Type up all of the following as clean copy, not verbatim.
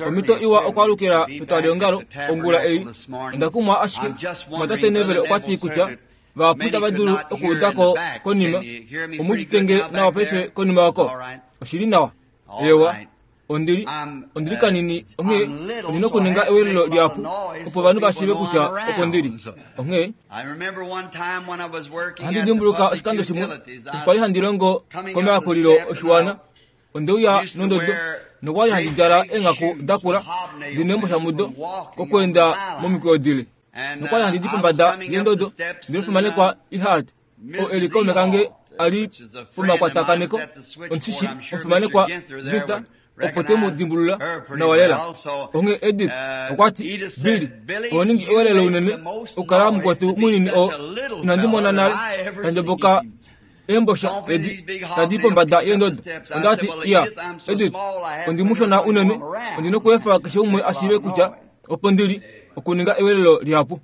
Omhito iwa okwaalukila petwaliongalo ongula ei. Onda kumwa ashike, Mumwatate Neville okwa ti kutya vahapu itava dulu okuuda ko konima. Omu udite nge nawa paife konima oko? Oshi li nawa. Eewa. Ondi li, ondi li kanini, onghee ondi na okuninga ewelelo lihapu opo ovanhu va shiive kutya opo ndi li. Onghee ohandi dimbuluka oshikando shimwe eshi kwali handi longo komayakulilo oshiwana Onde uya nondodo nokwa li handi djala eenghaku da kula di neembosha mudo kokweenda momikweyo dile. Nokwa li handi di pombada yendodo ndele omufimanekwa Ehart, oo e li kaume kange a li pomakwatakaneko, omushishi omufimanekwa Ginther opo te mu dimbulula nawa lela. Onghee Edith okwa ti, Billy, oho ningi ewelelo unene okukala mukwetu munini oo inandi mona nale ta ndjoboka eembosha edi tadi pombada yeendodo. Onda ti, Iya, Edith, ondi mushona unene, ondi nokuefa keshe umwe a shiive kutya opo ndi li, okuninga ewelelo lihapu.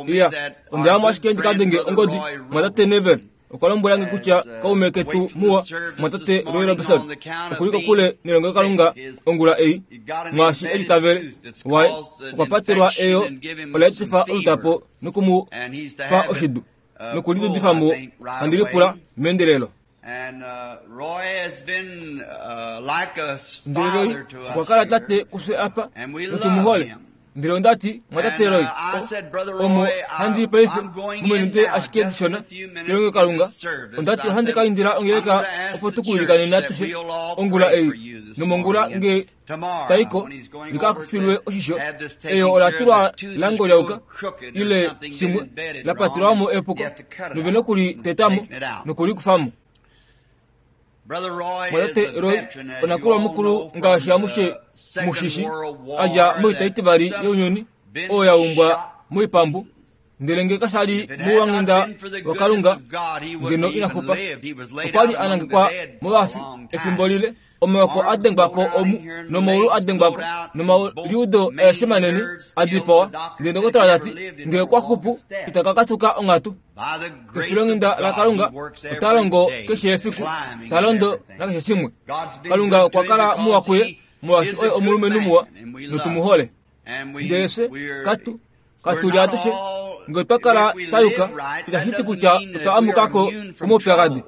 Iya, onda ya mo ashike ndi ka denge ongodi, Mumwatate Neville. Okwa lombwela nge kutya kaume ketu muwa, Mumwatate Roy Roberson, oku li kokule nelongelokalunga ongula ei, mwaashi e litavele waye okwa patelwa eyo ola etifa olutapo noku mu pa oshidu noku lidudifa mo, handi lipula meendelelo. Ndele Roy okwa kala tate kufye apa, notu mu hole. Ndele onda ti, Mwatate Roy, omo handi i paife, mominute ashike dishona, kelongelokalunga, onda ti ohandi ka indila ongeleka opo tu ku ilikanene atushe ongula ei, nomongula nge tai ko, li ka filwe oshisho. Eyo ola tulwa la ngolyauka, ile shimwe, la patelwa mo epuko, nove noku li teta mo noku li kufa mo. Mwatate Roy, onakulwa mukulu ngaashi amushe mushishi, a dja moita itivali younyuni, oyo ya umbwa moipambu, ndele nge kasha li mouwanghenda waKalunga, ngeno ina xupa. Okwa li a nangekwa movafi efimbo lile, omaoko a dengwa ko omu, nomaulu a dengwa ko, nomaliudo aeshe manene a dipawa. Ndele ndokotola ta ti, nge okwa xupu, ita ka katuka onghatu. Kefilonghenda laKalunga ota longo keshe efiku, ta londo nakeshe shimwe. Kalunga okwa kala muwa kuye, molwaashi oye omulumenhu muwa notu mu hole. Ndele fye katu katu li atushe nge otwa kala twa yuka, itashi ti kutya otwa amuka ko komaupyakadi.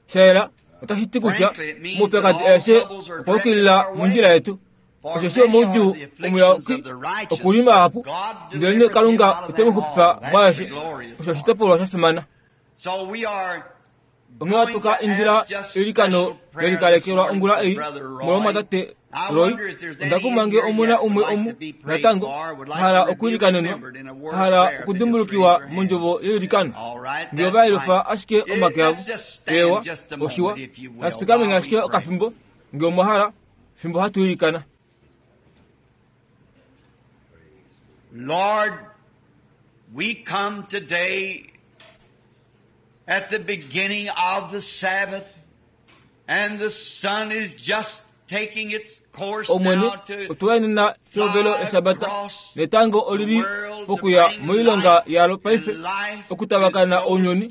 Sha yela, otashi ti kutya omaupyakadi aeshe okwa yukilila mondjila yetu. Osheshi omoudjuu omuyapuki oku li mahapu, ndelenee Kalunga ote mu xupifa mwaeshe. Osho oshitopolwa sha fimana. Onghee ohatu ka indila eilikano le likalekelwa ongula ei molwomumwatate Roy. Onda kumwa nge omu na umwe omu natango a hala okwiilikanenwa, a hala okudimbulukiwa mondjovo yeilikano. Nge ova yelufa ashike omake avo, eewa, oshiwa. Natu fikameni ashike okafimbo, nge omwa hala. fimbo hatu ilikana. Lord, we come today at the beginning of the Sabbath, and the sun is just taking its course Omwene, now to otwa enena pehovelo eshabata, netango oli li pokuya moilonga yalo paife, okutavakana ounyuni,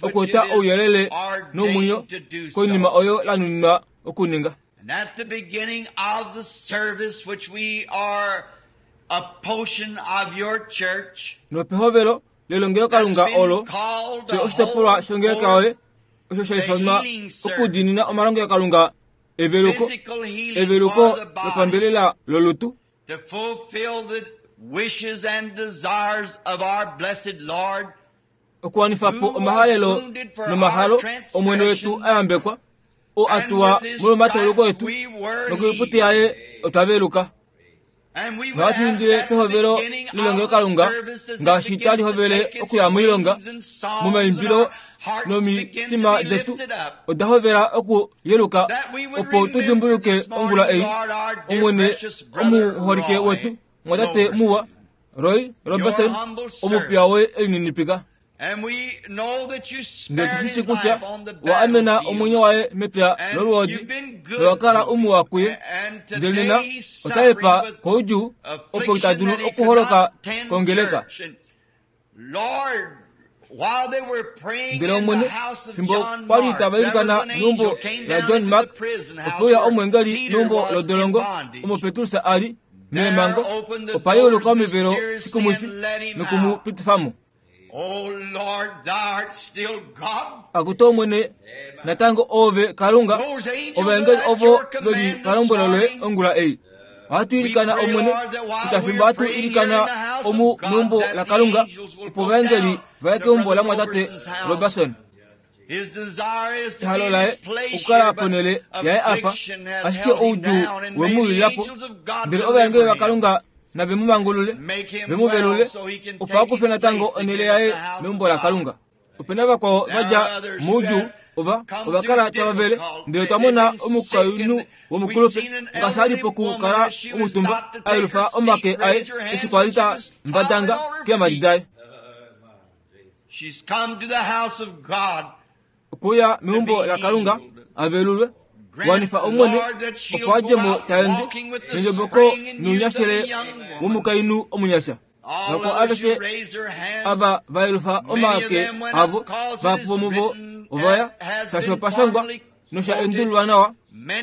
okweeta ouyelele nomwenyo koinima oyo la nuninwa okuninga. And at the beginning of the service which we are a portion of your church, Nopehovelo lelongelokalunga olo, fye oshitopolwa shongeleka yoye, osho sha ifanwa okudiinina omalongelokalunga eveluko, eveluko lopambelela lolutu, to fulfill the wishes and desires of our blessed Lord, okuwanifa po omahalelo nomahalo Omwene wetu a yambekwa, oo a tuwa molwomatauluko etu, nokoiputi yaye otwa veluka. Nohatu indile pehovelo lelongelokalunga ngaashi tali hovele okuya moilonga momaimbilo nomitima detu oda hovela okuyeluka opo tu dimbuluke ongula ei Omwene omuholike wetu mwatate muwa Roy Robertson, omupiya woye e lininipika. Ndele tu shi shii kutya wa amena omwenyo waye mepya lolwoodi nowa kala umuwa kuye, ndele nena ota hepa koudjuu opo ita dulu okuholoka kongeleka. Ndele Omwene, fimbo kwa li tava ilikana meumbo laJohn Mark, ope uya omweengeli meumbo lodolongo omo Petrus a li meemhango, opa yeuluka omivelo shikumwifi noku mu pitifa mo. Akutu Omwene, natango Oove Kalunga, ovaengeli ovo ve li palombwelo loye ongula ei. Ohatu ilikana Omwene, kutya fimbo hatu ilikana omu meumbo laKalunga, opo ovaengeli va ye keumbo lamwatate Roberson. Ehalo laye okukala ponhele yaye apa, ashike oudjuu we mu wilila po. Ndele ovaengeli vaKalunga nave mu mangulule, ve mu velule, opo a kufe natango onhele yaye meumbo laKalunga. Ope na vakwao va dja moudjuu, ova, ova kala tava vele, ndele twa mona omukainhu womukulupe ngaashi a li pokukala omutumba, a yelufa omake aye eshi kwa li ta mbadanga keemhadi daye. Okuya meumbo laKalunga a velulwe, wanifa Omwene, opo a dje mo ta ende nendjoboko nounyashele womukainhu omunyasha. Vakwao aveshe ava va yelufa omake avo, vahapu vomuvo ova ya, shaashi opa shangwa nosha endululwa nawa,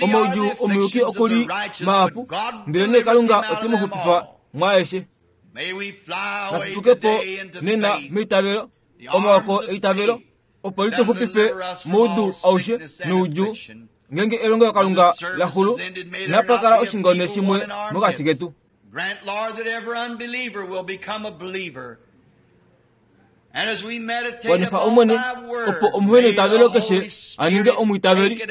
omaudjuu omuyuki oku li mahapu, ndelenee Kalunga ote mu xupifa mwaaeshe. Natu tuke po nena meitavelo, omaoko eitavelo, opo li tu xupife moudu aushe noudjuu. Ngeenge elongelokalunga la xulu, inapa kala oshingone shimwe mokati ketu. Wanifa Omwene, opo omuheneitavelo keshe a ninge omwiitaveli.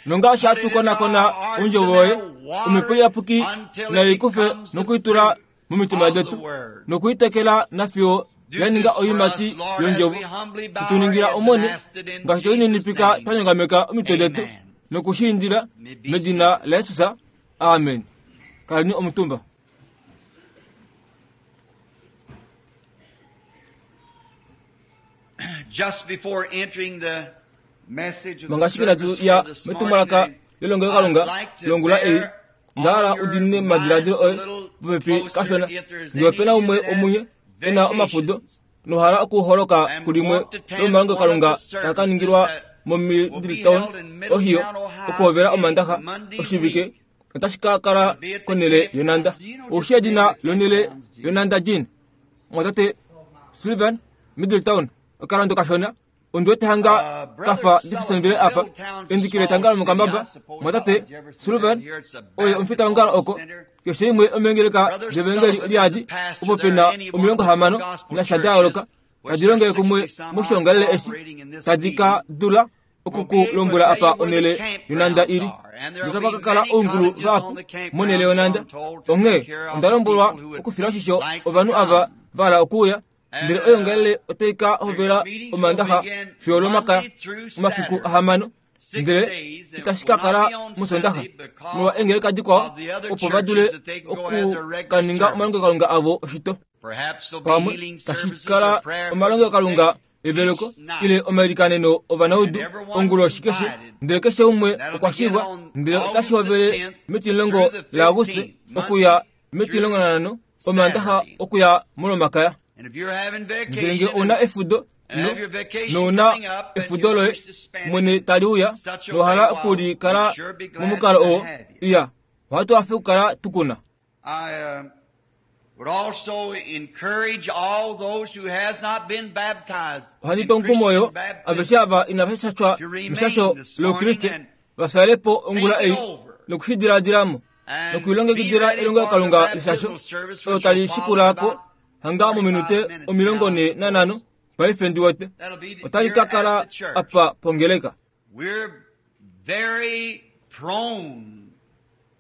Nongaashi hatu konakona Ondjovo yoye, Omhepo Iyapuki nai kufe noku i tula momitima detu, noku i tekela nafiyo ya ninga oiimati yOndjovo. Shi tu ningila Omwene, ngaashi twe lininipika twa nyongameka omitwe detu noku shi indila medina laJesus. Amen. Kaleni omutumba. Just before entering the message of the Manga inatu service ya for this metumwalaka morning, lelongelokalunga I'd like to longula ei, bear nda hala on your udinine omadiladilo minds a oye little popepi closer kashona. if there's Ngee ope na any umwe of you that omunye e na omafudo vacations nohala okuholoka and kulimwe want to attend lomalongelokalunga one of the taa ka ningilwa services that will be moMiddletown, held in Ohio, Middletown, Ohio, okuhovela Omandaxa Monday oshivike week. otashi ka kala konhele yonhanda. Oushi edina lonhele yonhanda Jean? Omwatate Sullivan, Middletown, okalando kashona. Ondi wete hanga ka fa Jeffersonville apa, endiki letanga lomokambaba. Omwatate Sullivan oye omufitaongalo oko. Keshe imwe yomeengeleka devangeli odiadi opo pe na 60 nasha da yooloka tadi longele kumwe moshiongalele eshi, tadi ka dula oku ku lombwela apa onhele yonhanda i li. Notapa ka kala oungulu vahapu monhele yonhanda. Onghee onda lombwelwa okufila oshisho ovanhu ava va hala okuuya, ndele oyoongalele otai ka hovela Omaandaxa fiyo Olomakaya, omafiku ahamano, ndele itashi ka kala mOsoondaxa, molwa eengeleka dikwao opo va dule oku ka ninga omalongelokalunga avo oshito. Pamwe tashi kala omalongelokalunga eveluko ile omailikaneno ovanaudu onguloshi keshe, ndele keshe umwe okwa shivwa, ndele otashi hovele metimulongo laAguste okuya metimulongo Omaandaxa okuya mOlomakaya. Ndele ngee ou na efudo, no, nou na efudo loye mwene tali uya, nowa hala oku li kala momukalo oo, iya, ohatu hafe okukala tu ku na. Ohandi tu omukumo yo aveshe ava inava shashwa meshasho loukriste va fyale po ongula ei noku shi diladila mo nokulilongekidila elongelokalunga leshasho olo tali shikula ko hanga mominute 45 paife ndi wete otali ka kala apa pongeleka. We're very prone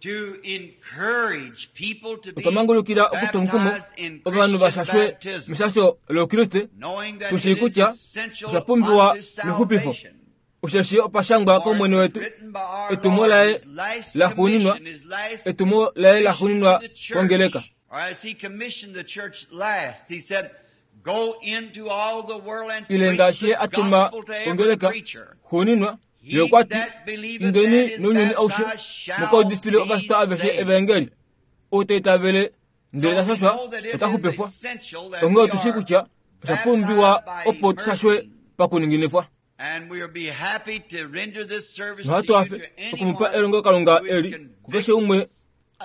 to encourage people to be Otwa mangulukila okutwa omukumo baptized in ovanhu va Christian shashwe baptism, meshasho loukriste, knowing that tu shii it is kutya essential osha pumbiwa unto mexupifo. salvation. Osheshi opa shangwa For it kOmwene was wetu, written by our etumo Lord, laye his last laxuuninwa, commission, his last etumo laye mission laxuuninwa to the church. kongeleka. Or as he commissioned the church last, he said, Go into all the world and Ile preach ngaashi the ye a tuma gospel to every kongeleka creature. xuuninwa, ye He okwa ti, that believeth Indeni and is nounyuni aushe, baptized shall mu ka udifile be ovashitwa aveshe saved. evangeli. Ou ta itavele ndele ta So we shashwa know that it ota is xupifwa. essential that Onghee we otu shii are kutya Osha pumbiwa opo tushashwe pakuninginifwa. Nohatu hafe okumupa elongelokalunga eli kukeshe umwe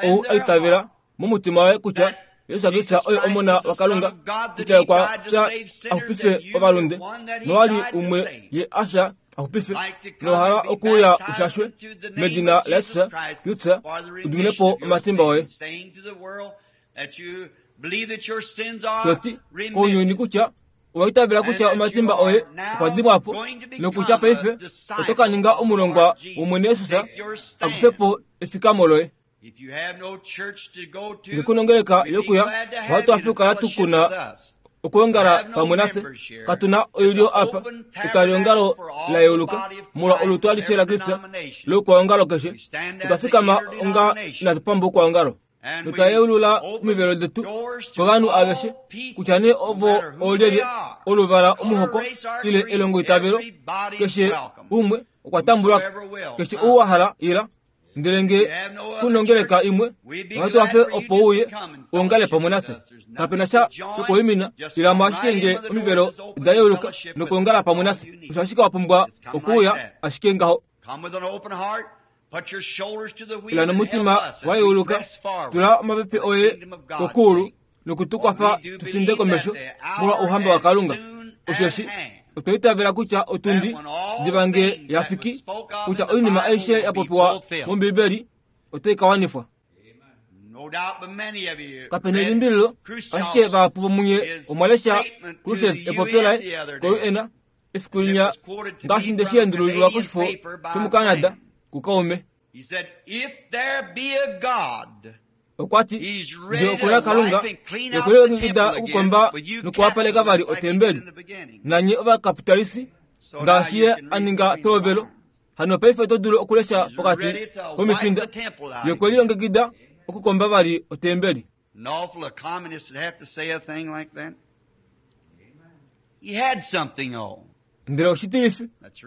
ou a itavela momutima waye kutya Jesus Kristus oye Omona waKalunga, kutya okwa fya a xupife ovalunde, nowa li umwe ye a fya a xupife, nowa hala okuuya u shashwe medina laJesus Kristus u dimine po omatimba oye. To ti kounyuni kutya owa itavela kutya omatimba oye okwa dimwa po nokutya paife oto ka ninga omulongwa wOmwene Jesus a kufe po efikamo loye. Nge ku na ongeleka yokuya, ohatu hafe okukala tu kuna okwoongala pamwe nafye. Katu na oilyo apa, etwaliongalo la yeuluka molwa olutu alishe laKristus loukwaongalo keshe. Otwa fikama onga inatu pamba oukwaongalo. Notwa yeulula omivelo detu kovanhu aveshe, kutya nee ovo oolyelye, oluvala, omuhoko ile elongoitavelo, keshe umwe okwa tambulwa ko. Keshe ou wa hala, ila. Ndele nge ku nongeleka imwe, ohatu hafe opo uye uongale pamwe nafye. Kape na sha shokuwimina, ila mo ashike nge omivelo da yeuluka nokuongala pamwe nafye. Osho ashike wa pumbwa okuuya ashike ngaho. Ila nomutima wa yeuluka, tula omapepe oye kokuulu noku tu kwafa tu finde komesho molwa Ouhamba waKalunga. Osheshi otwa itavela kutya otundi diva nge ya fiki, kutya oinima aishe ya popiwa mOmbibeli otai ka wanifwa. Kape na elimbililo, ashike vahapu vomunye omwa lesha Khrushchev epopyo laye koUN efiku linya ngaashi nde shi endululilwa koshifo shomuCanada kukaume. Okwa ti, Nge oku na Kalunga, ye okwe lilongekida okukomba nokuwapaleka vali otembeli. Nanye ovakapitalisi, ngaashi ye a ninga pehovelo, hano paife oto dulu okulesha pokati komifinda, ye okwe lilongekida okukomba vali otembeli. Ndele oshitilifi,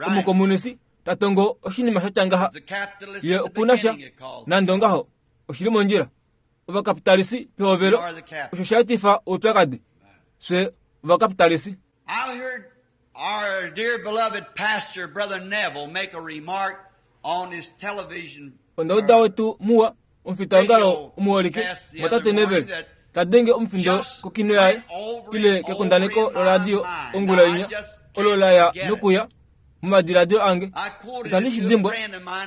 omukomunisi ta tongo oshinima sha tya ngaha, ye oku na sha, nande ongaho, oshi li mondjila. Ovakapitalisi pehovelo, osho sha etifa oupyakadi. Fye ovakapitalisi. Onda uda wetu muwa, omufitaongalo omuholike, mwatate Neville, ta denge omufindo kokino yaye, ile kekundaneko loradio ongula inya, olo la ya nokuya momadiladilo ange. Itandi shi dimbwa,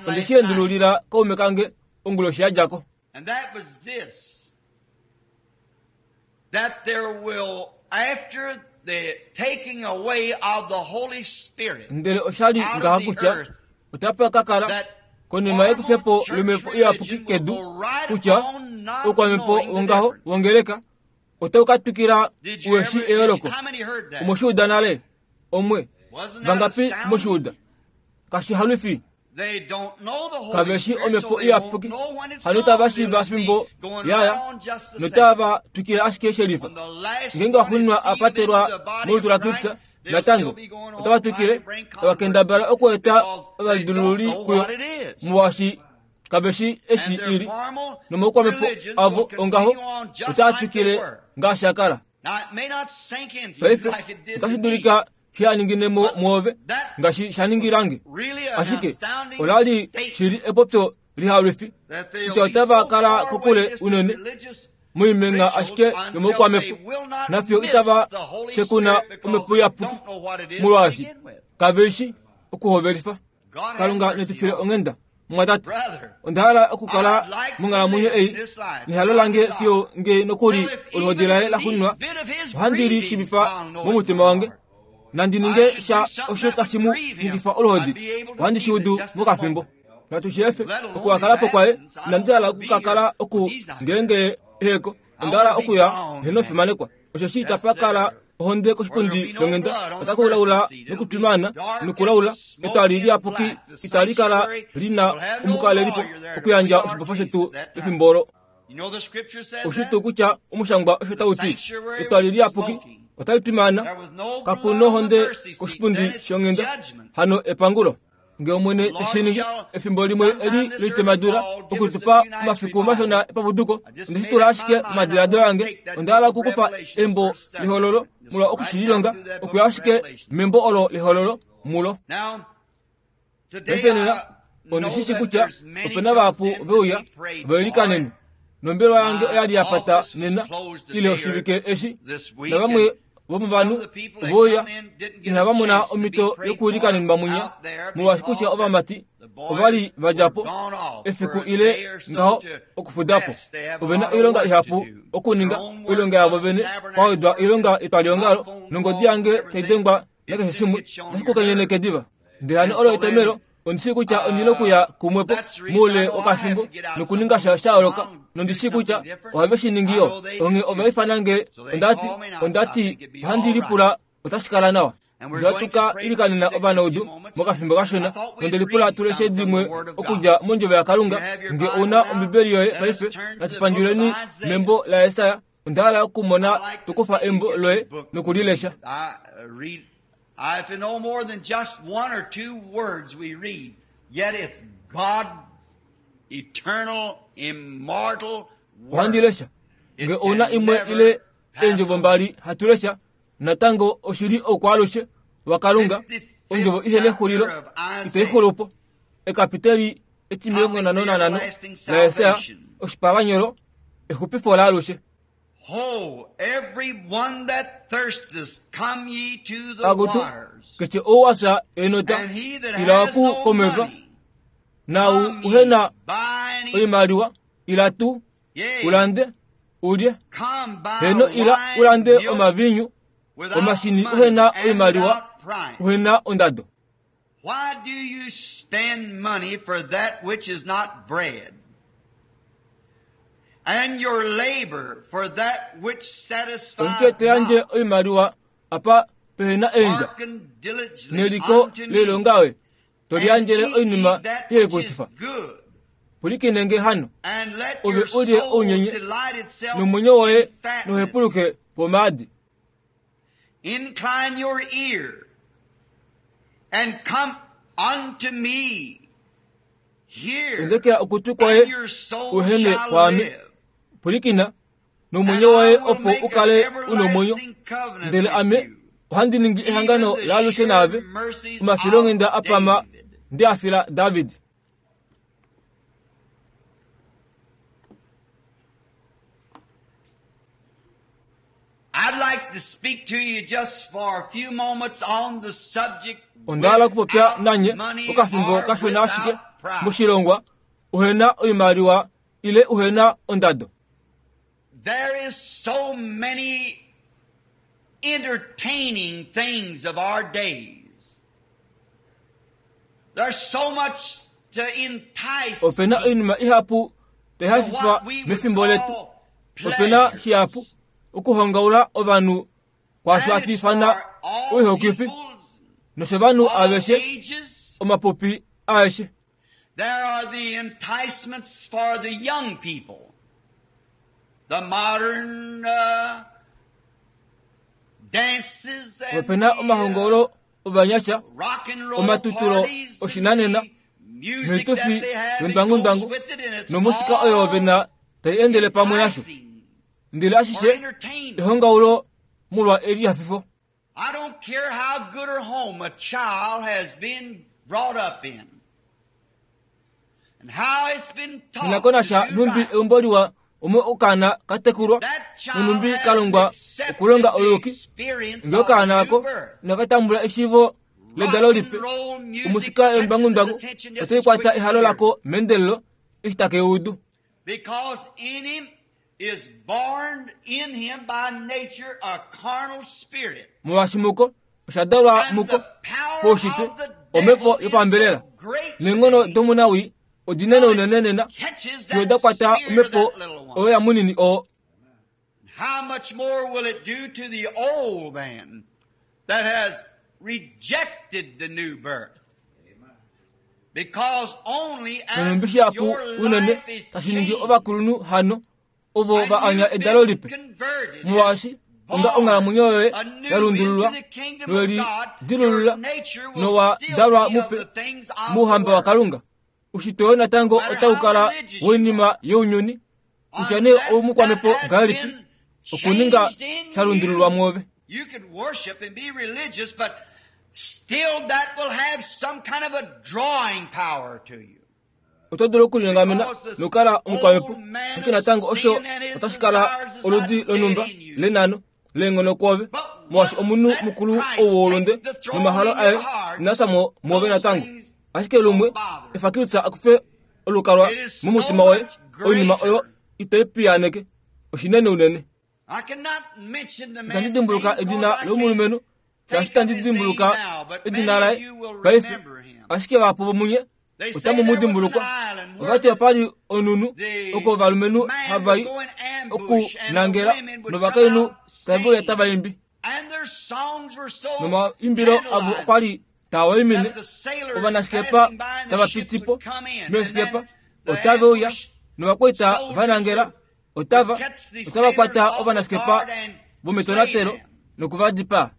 onde shi endululila kaume kange onguloshi ya dja ko. And that was this, that there will, after the taking away of the Holy Spirit Ndele osha li ngaha kutya otapa ka kala, konima yekufepo lomhepo iyapuki kedu, kutya oukwamhepo wongaho wongeleka otau ka twikila Did you u eshi ever, did you, eyooloko. how many heard that? Omwe shi uda nale? Omwe. Wasn't that Vangapi mwe shi astounding? uda? Kashi halwifi. They don't know the Holy Kave shi Spirit, so omhepo they won't iyapuki, know when it's hano gone. itava They'll shiiva just be fimbo going yaya, right on just the same. notava twikile ashike shelifa. When the last Ngeenge one is waxuuninwa a sealed into patelwa the body molutu of laKristus, Christ, they'll natango still be going otava on trying twikile to bring tava converts kendabala okweeta because they don't ovalidululi know kuyo what it is. molwaashi kave shi eshi And their ili formal nomaukwamhepo religions avo will ongaho continue on just otaa like they twikile were. ngaashi a kala. Now, it may not sink into you Paife like it did otashi to me. dulika shi a ninginemo mwoove That ngaashi sha ningilange, really an ashike astounding ola li statement shili epopyo lihalwifi that they'll kutya be so otava kala far away kokule distant unene religious moimenga rituals ashike until they yomoukwamhepo will not nafyo miss itava the Holy shekuna Spirit because omhepo they iyapuki don't know what it is to molwaashi begin with. kave shi okuhovelifa. God have Kalunga mercy netu file on us. onghenda. Mumwatate, Brother, onda hala okukala I'd like to monghalamwenyo live ei this life nehalo lange fiyo nge nokuli till if oluhodi even laye the la least xuninwa bit of his ohandi li grieving, shiivifa I'll know it in momutima my wange heart. nandi I ninge should sha do something osho that tashi would mu grieve him. nyikifa oluhodi I'd be able to ohandi shi feel it udu just in a mokafimbo moment. natu shi efe Let alone his okuhakalapo kwaye absence. I inandi don't hala want to be here okukakala oku when he's not here. ngeenge eheko I onda hala want to be okuya gone heno then. fimanekwa osheshi Yes, itapa kala sir. ohonde Where there'll koshipundi be no shonghenda blood on the otaka ulaula mercy seat. It'll be nokutwimana dark and nokulaula etwali smoky and liyapuki black. The itali kala sanctuary lina will have no omukalelipo lawyer there to okuyandja plead our oshibofa case shetu at that time. pefimbo olo. You know the scripture says Oshi that? tuu kutya omushangwa osho The tau ti sanctuary etwali was liyapuki smoking. otali twimana There was no kaku blood on the nohonde mercy seat. koshipundi Then it's shonghenda judgment. hano epangulo. Nge Omwene te shi ningi, efimbo limwe eli loitemadula okutupa omafiku mashona epapuduko, onde shi tula ashike momadiladilo ange. Onda hala okukufa embo lEhololo molwa oku shi lilonga, okuya ashike membo olo lEhololo mulo. Paife nena, ondi shi shi kutya ope na vahapu ve uya va ilikanenwe. Nombelewa yange oya li ya pata nena ile oshivike eshi, navamwe vomovanhu ove uya inava mona omhito yokuilikanenwa mwinya, molwaashi kutya ovamati ova li va dja po efiku ile ngaho okufuda po. Ove na oilonga ihapu okuninga, oilonga yavo vene, kwa wedwa oilonga yetwaliongalo, nongodi yange tai dengwa nakeshe shimwe, otashi ku kenyeneke diva. Ndele hano olo etomhelo ondi shii kutya ondi na okuya kumwe po moule wokafimbo nokuninga sha sha yooloka, nondi shii kutya ohave shi ningi yo. Onghee ova ifana nge, onda ti, onda ti, ohandi lipula otashi kala nawa. Ndele ohatu ka ilikanena ovanaudu mokafimbo kashona, nonde lipula tu leshe dimwe okudja mOndjovo yaKalunga. Nge ou na Ombibeli yoye paife, natu pandjuleni membo laJesaja. Onda hala okumona to kufa embo loye noku li lesha. If no more than just one or two words we read, yet it's God's eternal, immortal Ohandi lesha. Nge ou na imwe ile eendjovo mbali hatu lesha, natango oshi li oukwaalushe waKalunga, ondjovo ihe nexulilo, itai xulu po. Ekapiteli etimilongo nhano nanhano laJesaja, oshipalanyolo, Exupifo laalushe. Ho, every one that thirsteth, come ye to the Akutu, waters. keshe ou a fya enota, And he that ila has ku no komeva, money, naau come uhe ye, na buy and eat. oimaliwa, ila tuu, Yea, ulande, ulye. come buy Heno ila wine, ulande milk, omaviinyu, without omashini money uhe na and oimaliwa, without price. uhe na ondado. Why do you spend money for that which is not bread? And your labor for that which satisfieth Oshike to yandje not? oimaliwa apa pehe na eendja Hearken diligently neliko unto me, loilonga oye to and liyandjele eat ye oinima that ihe which is kutifa. good, Pwilikine nge hano, and let ove your ulye soul ounyenye, delight itself nomwenyo woye in fatness. nohepuluke pomaadi. Incline your ear and come unto me. Hear, Endekela okutwi kwaye and your soul uhene shall kwaame. live. Pwilikina, And nomwenyo I woye will opo make u an kale u nomwenyo. everlasting covenant Ndele with ame you, ohandi ningi ehangano even the laalushe sure naave, mercies omafilonghenda of a pama David. nde a fila David. I'd like to speak to you just for a few moments on the subject Onda hala okupopya without nanye money okafimbo or kashona ashike without price. moshilongwa uhena oimaliwa ile uhena ondado. There is so many entertaining things of our days. There's so much to entice Ope na people oinima ihapu tai to hafifa what we would mefimbo letu. call Ope na pleasures. shihapu okuhongaula ovanhu kwaasho And hatu it's ifana for all oihokifi peoples, noshovanhu all aveshe ages. omapupi aeshe. There are the enticements for the young people. The modern dances and Ope na the, omahongolo ovanyasha, rock and roll omatutulo parties and oshinanena, the music that noitufi they have, it goes yondwangundwangu, with it, and it's nomusika oyo all vena tai endele pamwe nasho. enticing Ndele or ashishe entertainment. ehongaulo molwa elihafifo. I don't care how good a home a child has been brought up in and how it's been taught Ninako to nasha do numbi right. eumbo liwa omo okaana ka tekulwa That child nonumbi has ka longwa accepted okulonga the ouyuki. experience Ngee of okaana new ako birth. inaka tambula eshiivo ledalo Rock lipe, and roll music omusika catches his yondwangundwangu attention just otai as kwata quick as ehalo he hears lako meendelelo eshi take udu. Because in him is born in him by nature a carnal spirit. Molwaashi muko osha dalwa And muko the power poushitwe of the omhepo devil is yopambelela. so great Neenghono today domunawi odinene till unene it nena catches fiyo that da kwata spirit of omhepo that little one. oyo ya munini oo. How much more will it do to the old man that has rejected the new birth? Because only as Nonumbi shihapu your unene life is tashi ningi changed ovakulunhu hano ovo and va anya you've edalo been lipe. converted Molwaashi and Onga onghalamwenyo yoye ya lundululwa noye lidilulula nowa dalwa mupe mouhamba waKalunga, ushitwe woye natango otau kala woinima younyuni, kutya nee oumukwamhepo ngahelipi, okuninga sha lundululwa mwoove. Oto dulu okulinyongamena nokukala omukwamhepo, ashike natango osho otashi kala oludi lonhumba lenano leenghono kwoove, molwaashi omunhu mukulu ou woulunde nomahalo aye inaa fya mo mwoove natango. Ashike lumwe efa Kristus a kufe olukalwa momutima woye, oinima oyo itai piyaaneke. Oshinene unene. Itandi dimbuluka edina lomulumenhu, shaashi itandi dimbuluka edina laye paife, ashike vahapu vomunye otamu mu dimbulukwa. Ova ti opa li onhunhu oko ovalumenhu hava i okunangela novakainhu tave uya tava imbi. Nomaimbilo avo okwa li taa waimine ovanaskepa tava piti po meeskepa otave uya novakwaita va nangela otava otava kwata ovanaskepa vometonatelo noku va dipaa.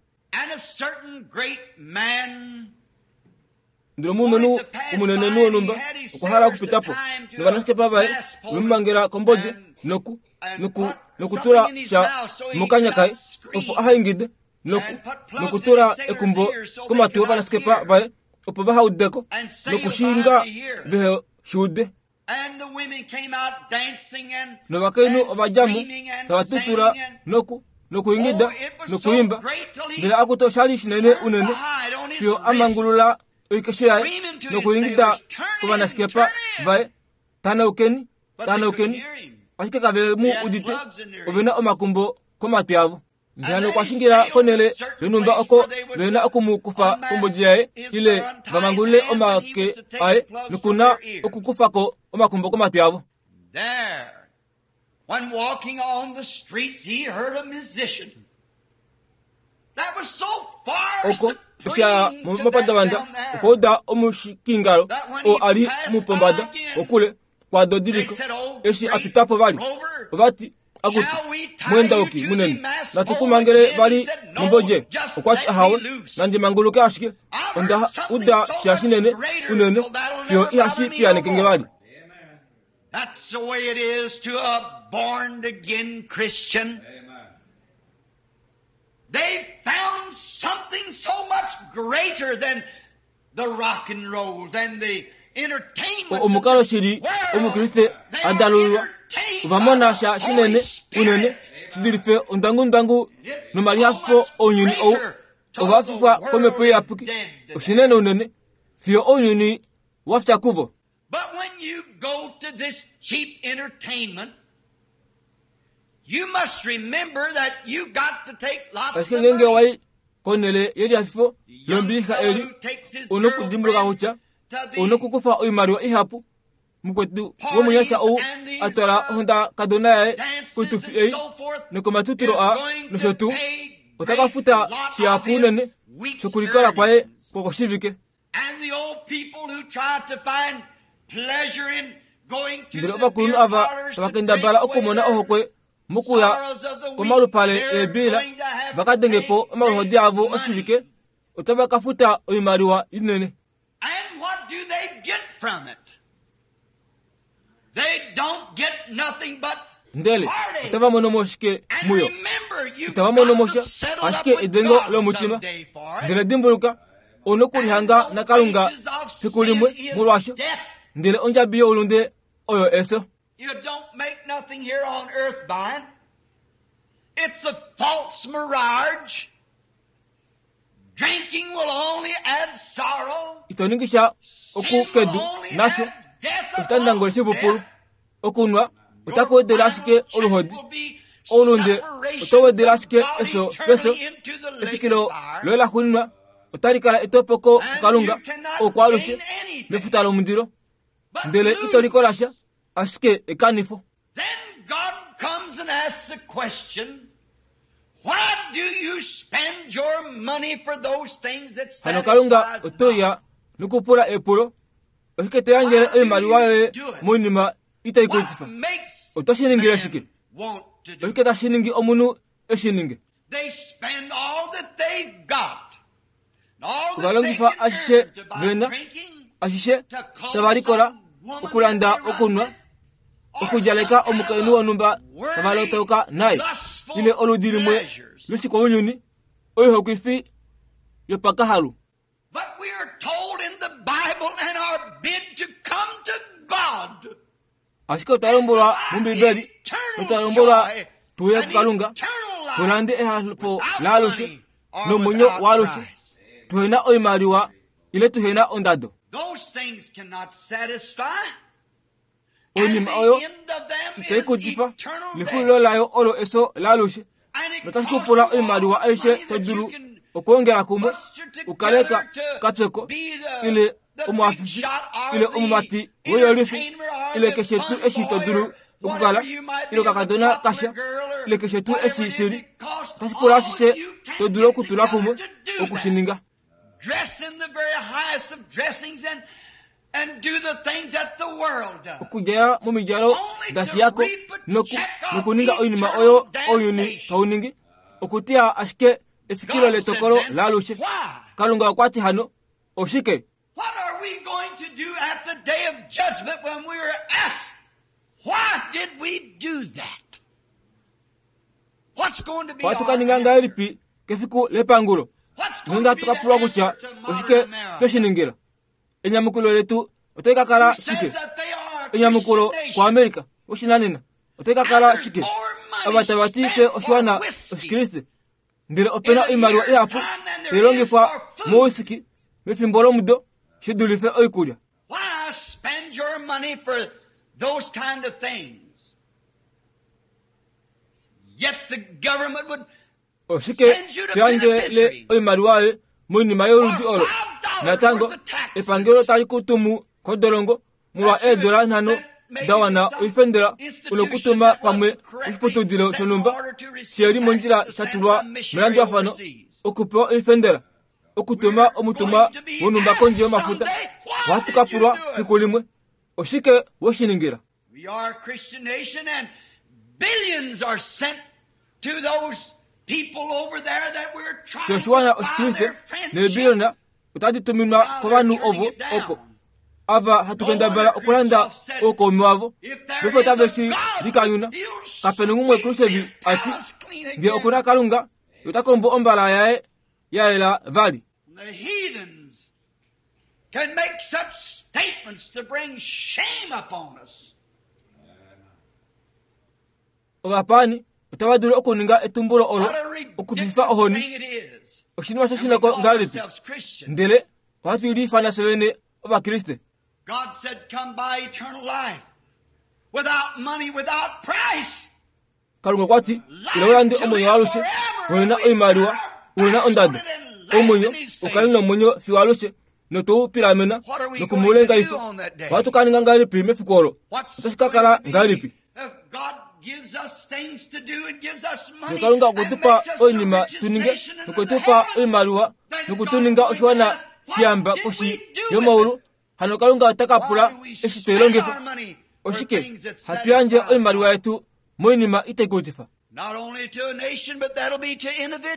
Ndele omulumenhu omunenenhu wonhumba okwa hala okupita po, novanaskepa vaye ove mu mangela kombodi noku noku nokutula sha mokanya kaye opo aha ingide noku nokutula ekumbo komatwi ovanaskepa vaye opo vaha ude ko nokushinga vehe shi ude. Novakainhu ova dja mo tava tutula noku nokuingida nokuimba, ndele akutu osha li shinene unene fiyo a mangulula oikesho yaye nokuingida kovanaskepa vaye, Tanaukeni, tanaukeni! Ashike kave mu udite, ove na omakumbo komatwi avo. Mbela okwa shingila konhele yonhumba oko ve na oku mu kufa kombodi yaye ile va mangulule omake aye noku na okukufa ko omakumbo komatwi avo. When walking on the streets, he heard a musician. That was so far Oko eshi a momapandavanda okwa uda omushikingalo oo a li mupombada kokule kwado diliko. Eshi a pita po vali, ova ti, Akutu, mwendauki munene, natu ku mangele vali mombodje? Okwa ti, Ahawe, nandi manguluke ashike. Onda uda sha shinene unene fiyo ihashi piyaneke nge vali. That's the way it is to a born again Christian. They found something so much greater than the rock and rolls and the entertainments Omukalo shili Omukriste a dalululwa, ova mona sha shinene unene shi dulife ondangundwangu nomalihafifo ounyuni ou. Ova fifwa komhepo iyapuki, oshinene unene fiyo ounyuni wa fya kuvo. But when you go to this cheap entertainment, you must remember that you got to take lots Ashike of ngeenge money. wa i konhele yelihafifo lombilixa eli, u na okudimbuluka kutya u na okukufa oimaliwa ihapu. Mukwetu womunyasha ou a twala ohondakadona yaye koitufi ei nokomatutilo aa nosho tuu, ota ka futa shihapu unene shokulikola kwaye kwokoshivike. Ndele ovakulunhu ava tava kendabala okumona ohokwe mokuya komalupale eebiila va ka denge po omaluhodi avo oshivike, otava ka futa oimaliwa inene. Ndele otava mono mo shike muyo? Itava mono mo sha, ashike edengo lomutima. Ndele dimbuluka, ou na okulihanga naKalunga fiku limwe molwaasho, ndele ondjabi youlunde oyo efyo. You don't make nothing here on earth by it. It's a false mirage. Drinking will only add sorrow. Ito ningi sha oku kedu nasho oshitandangole shipupulu. Okunwa otaku wedele ashike oluhodi. Oulunde otau wedele ashike efyo pefyo. Efikilo loye laxuuninwa otali kala etopoko kuKalunga oukwaalushe mefuta lomundilo. Ndele ito likola sha, ashike ekanifo. Then God comes and asks the question, Why do you spend your money for those things that Hano Kalunga satisfies ote uya nokupula epulo, Oshike to yandjele oimaliwa yoye moinima itai What kutifa? makes Oto shi ningile man shike? want to do Oshike tashi ningi omunhu e shi ninge? Ovalongifa ashishe vena, ashishe tava likola okulanda okunwa, okudjaleka omukainhu wonhumba tava lotauka naye, ile oludi limwe loshikounyuni, oihokwifi yopakahalu. Ashike otwa lombwelwa mOmbibeli, notwa lombwelwa tu ye kuKalunga, tu lande ehafo laalushe nomwenyo waalushe, tuhena oimaliwa ile tuhena ondado. Oinima oyo itai kutifa, nexulilo layo olo efyo laalushe. Notashi ku pula oimaliwa aishe to dulu okwoongela kumwe u kale kapyoko ile omuhafifi ile omumati woiyolifi ile keshe tuu eshi to dulu okukala ile okakadona kasha ile keshe tuu eshi shi li. Otashi pula ashishe to dulu okutula kumwe oku shi ninga. Okudjala momidjalo da shiya ko nokuninga oinima oyo ounyuni tau ningi, okutiya ashike efikilo letokolo laalushe. Kalunga okwa ti hano, Oshike? Ohatu ka ninga ngahelipi kefiku lepangulo ngeenge hatu ka pulwa kutya oshike twe shi ningila? Enyamukulo letu otali ka kala shike? Enyamukulo kuAmerica woshinanena otali ka kala shike? Ava tava ti fye oshiwana Oshikriste, ndele ope na oimaliwa ihapu tai longifwa mouwhisky mefimbo lomudo shi dulife oikulya. Oshike to yandjele oimaliwa yoye moinima yoludi olo? Natango, epangelo tali ku tumu kodolongo molwa eedola nhano da wana oifendela u nokutuma pamwe oshiputudilo shonhumba she li mondjila sha tulwa melandulafano okupewa oifendela okutuma omutumwa wonhumba kondje yomafuta. Ohatu ka pulwa fiku limwe, Oshike we shi ningila? We are a Christian nation and billions are sent to those people over there that we're trying Fye oshiwana to buy Oshikriste their friendship. neebiliyona otadi tuminwa kovanhu ovo oko ava hatu kendabala okulanda oukaume wavo. Paife otave shi likanyuna. Kape na umwe Khrushchev a ti, Ngee oku na Kalunga, ye ota kombo ombala yaye ya yela vali. The heathens can make such statements to bring shame upon us. Ovapaani otava dulu okuninga etumbulo olo What a okufifa ridiculous ohoni. thing it is. Oshinima And we shoshinako call ngahelipi? ourselves Christians. Ndele ohatu liifana fye vene Ovakriste. God said, come buy eternal life. Without money, without price. Kalunga okwa ti, Ila u lande omwenyo waalushe, uhe na oimaliwa, uhe na ondado. Omwenyo u kale nomwenyo fiyo alushe, noto u pilamena noku mu lengaifa. Ohatu ka ninga ngahelipi mefiku olo? Otashi ka kala ngahelipi? Ngee Kalunga okwe tu pa oinima tu ninge, nokwe tu pa oimaliwa, noku tu ninga oshiwana shiyamba koshi yomaulu, hano Kalunga ota ka pula eshi twe i longifa. Oshike hatu yandje oimaliwa yetu moinima itai kutifa?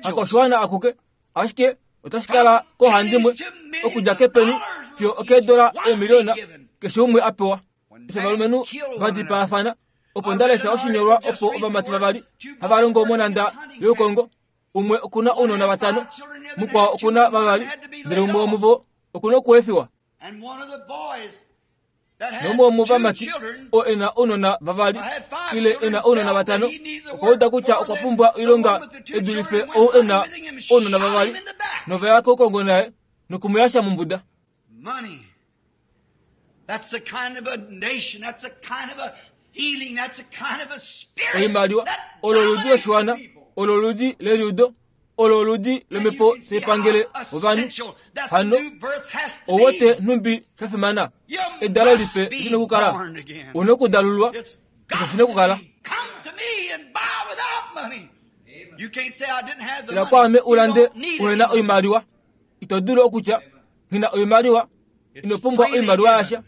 Hakoshiwana akuke, ashike otashi kala koohandimwe okudja kepeni fiyo okeedola eemiliona keshe umwe a pewa. Eshi ovalumenhu va dipaafana, opo nda lesha oshinyolwa opo ovamati vavali hava longo monhanda youkongo, umwe oku na ounona vatano, mukwao oku na vavali, ndele umwe womuvo oku na okuefiwa. Noumwe womovamati oo e na ounona vavali ile e na ounona vatano okwa uda kutya okwa pumbwa oilonga e dulife ou e na ounona vavali, nova ya koukongo naye noku mu yasha mombuda. Oimaliwa olo oludi loshiwana, olo oludi leliudo, olo oludi lomhepo tai pangele ovanhu. Hano ou wete nhumbi sha fimana? Edalo lipe li nokukala. U nokudalulwa, osho shi nokukala. Ila kwaame u lande uhe na oimaliwa. Ito dulu okutya, Nghi na oimaliwa. Ino pumbwa oimaliwa yasha.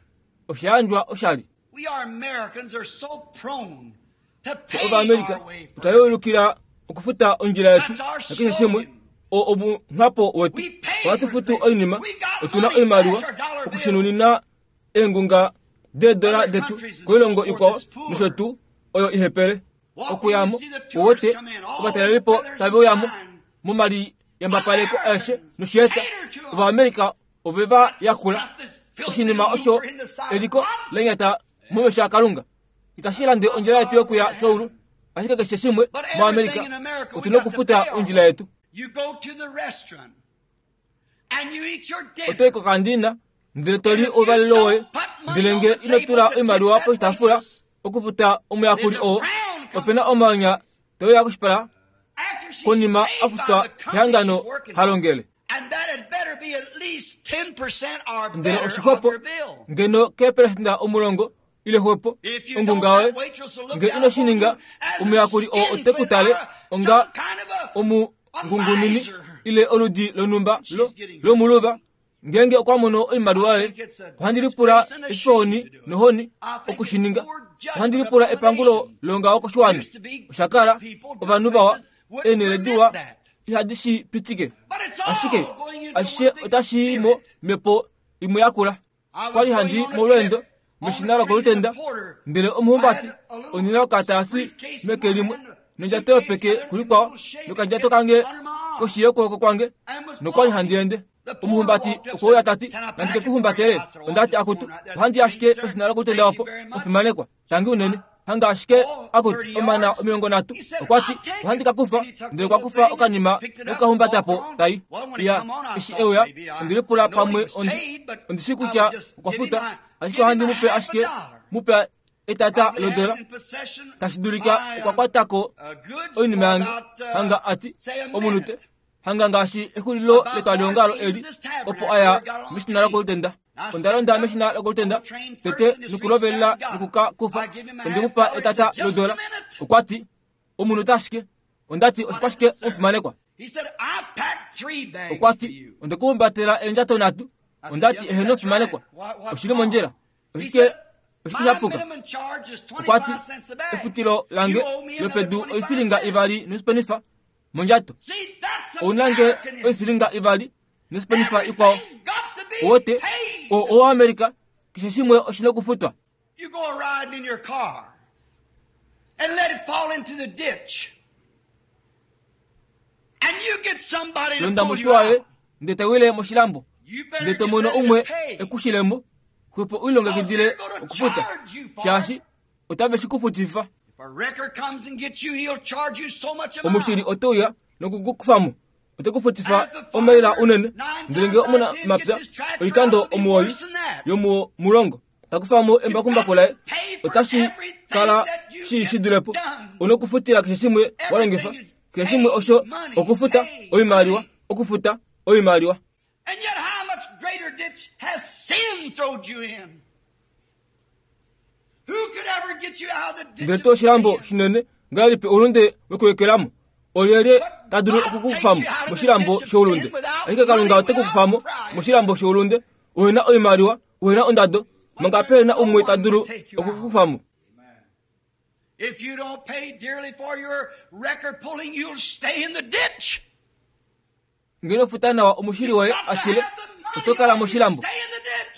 Osha yandjwa oshali. Fye Ovaamerica otwa yeulukila okufuta ondjila yetu nakeshe shimwe oo omunhapo wetu. Ohatu futu oinima, otu na oimaliwa okushinunina eengunga deedola detu koilongo ikwao nosho tuu oyo ihepele. Okuyamo, uwete ovatalelipo tave uyamo momaliyambapaleko aeshe noshieta Ovaamerica ove va yakula oshinima osho eliko lenyata momesho aKalunga. Itashi lande ondjila yetu yokuya keulu, ashike keshe shimwe moAmerica otu nokufuta ondjila yetu. Oto i kokandina ndele to li ouvalelo woye, ndele nge ino tula oimaliwa poshitaafula okufuta omuyakuli oo, ope na omanya te uya koshipala konima a futwa kehangano ha longele. Ndele oshixwepo ngeno keepelesenda 10 ile xwepo ongunga yoye. Nge ino shi ninga, omuyakuli oo ote ku tale onga omungungunini ile oludi lonhumba lo, lomuluva. Ngeenge okwa mono oimaliwa yoye, ohandi lipula efifohoni nohoni oku shi ninga. Ohandi lipula epangulo longaho koshiwana. Osha kala ovanhu vawa, eenhele diwa ihadi shi pitike. Ashike ashishe otashi i mo mhepo imwe yakula. Kwa li handi molweendo meshina lokolutenda, ndele omuhumbati ondi na okataasi meke limwe nondjato yopeke kulikwao nokandjato kange koshi yokwooko kwange, nokwa li handi ende. Omuhumbati okwe uya ta ti, Nandi ke ku humbatele? Onda ti, Akutu, ohandi i ashike peshina lokolutenda opo, omufimanekwa. Tangi unene. Hanga ashike akutu omana 30. Okwa ti, Ohandi ka kufa. Ndele okwa kufa okanima nokukahumbata po, tai. Iya, eshi e uya, ondi lipula pamwe ondi, ondi shii kutya okwa futa, ashike ohandi mu pe ashike, mu pe etata lodola. Tashi dulika okwa kwata ko oinima yange, hanga a ti, omunute. Hanga ngaashi exulilo letwaliongalo eli, opo a ya meshina lokolutenda. Onda londa meshina lokolutenda tete nokulovelela nokuka kufa. Onde mu pa etata lodola. Okwa ti, Omunhu ota ashike. Onda ti, Oshikwashike omufimanekwa? Okwa ti, Onde ku humbatela eendjato nhatu. Onda ti, Eheno omufimanekwa. Oshi li mondjila. Oshike oshike sha puka? Okwa ti, Efutilo lange lopedu oifilinga ivali nosipenifa mondjato. Ou na nge oifilinga ivali nosipenifa ikwao. Owote, o, oAmerica, keshe shimwe oshi nokufutwa. You go riding in your car and let it fall into the ditch. And you get somebody to Londa pull you mutu waye out. ndele ta wile moshilambo You better ndele to get mono ready to umwe pay. ekushilemo xwepo u lilongekidile Because they're gonna okufuta charge you for it. shaashi otave shi ku futifa. If a wrecker comes and gets you, he'll charge you so much a mile. Omushili ote uya noku ku kufa mo, ote ku futifa omaila unene. Ndele ngee omunamapya oikando 9 yomomulongo ta kufa mo embakumbaku laye, otashi kala shi shi dule po. U nokufutila keshe shimwe wa longifa, keshe shimwe osho okufuta oimaliwa, okufuta oimaliwa. And yet how much greater ditch has sin throwed you in? Who could ever get you out of the ditch Ndele of tuu oshilambo sin? shinene ngahelipi oulunde wekuwekelamo? Olyelye ta dulu oku ku kufa mo moshilambo shoulunde? Ashike Kalunga ote ku kufa mo moshilambo shoulunde uhe na oimaliwa, uhe na ondado, manga pehe na umwe ta dulu oku ku kufa mo. If you don't pay dearly for your record pulling, you'll stay in the ditch. Ngee ino futa nawa omushili woye ashile, oto kala moshilambo.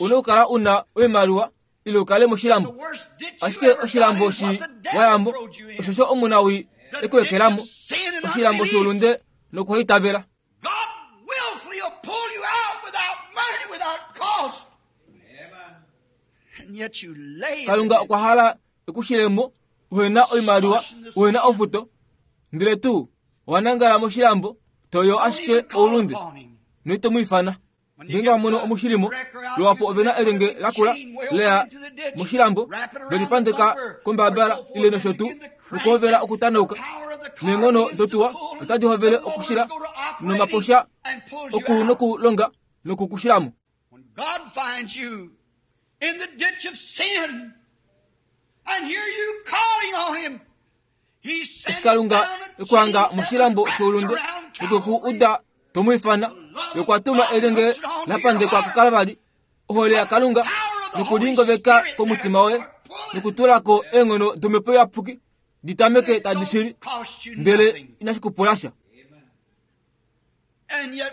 U na okukala u na oimaliwa ile u kale moshilambo. Ashike oshilambo shi wa ya mo, oshosho omunawii e ku ekela mo, oshilambo shoulunde nokuhaitavela. God willfully will pull you out without money, without cost. And yet you lay in Kalunga the okwa hala e ku shile mo, uhe na oimaliwa, uhe na ofuto, ndele tuu owa nangala moshilambo, to yo ashike oulunde, noito mu ifana. Ngeenge wa mono omushilimo, luhapu ove na elyenge lakula leya moshilambo, ve li pandeka kombabala ile nosho tuu, nokuhovela okutanauka. Neenghono dotuwa otadi hovele okushila nomaposha oku nokulonga nokukushila mo. When God finds you in the ditch of sin and hear you calling on him, he Eshi sends Kalunga down a e ku hanga chain that moshilambo was wrapped shoulunde around nokwe ku Calvary. uda to mu ifana, ye okwa tuma elyenge la pandekwa kuKalvari, ohole yaKalunga nokulingoveka komutima woye nokutula ko eenghono dOmhepo Iyapuki. Ditameke tadi shili, ndele inashi ku pula sha.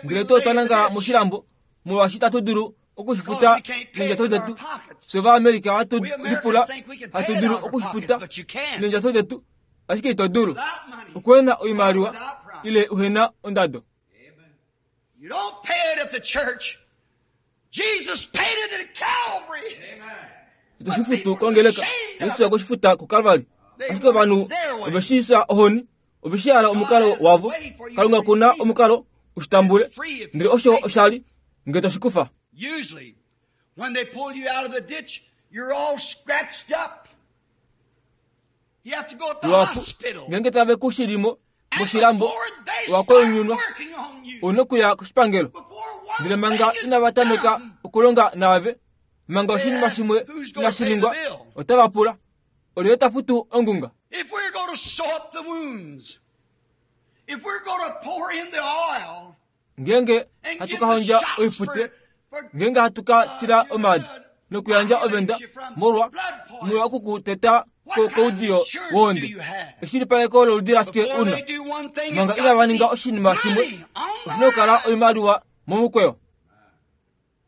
Ndele to otwa nangala moshilambo molwaashi itatu dulu okushifuta neendjato detu. Fye Ovaamerica ohatu lipula hatu dulu okushifuta neendjato detu, ashike ito dulu. Okuhena oimaliwa ile uhena ondado. You don't pay it at the church. Jesus paid it at Calvary. Ito shi futu kongeleka. Yesu okwe shi futa kuKalvari. Ashike ovanhu ove shi fya ohoni, ove shi hala omukalo wavo. Kalunga oku na omukalo u shi tambule. Ndele osho osha li, nge to shi kufa. Usually, when they pull you out of the ditch, you're all scratched up. You have to go to the Luhapu, hospital. ngeenge tave ku shili mo And moshilambo, before they owa start koyunyunwa, working on you, ou na okuya koshipangelo. before one Ndele manga thing is inava tameka done, okulonga naave, manga oshinima shimwe inashi ningwa, otava pula, Olyelye ta futu ongunga? If we're going to sew up the wounds, if we're going to pour in the oil Ngeenge and hatu give ka the hondja shots oipute, for ngeenge hatu ka tila omaadi nokuyandja ovenda molwa molwa oku ku teta ko koudiyo wohonde, eshilipaleko loludi lashike before u na? they do one thing, it's Manga got inava to ninga be oshinima shimwe, money on the oshi na okukala line. oimaliwa momukweyo.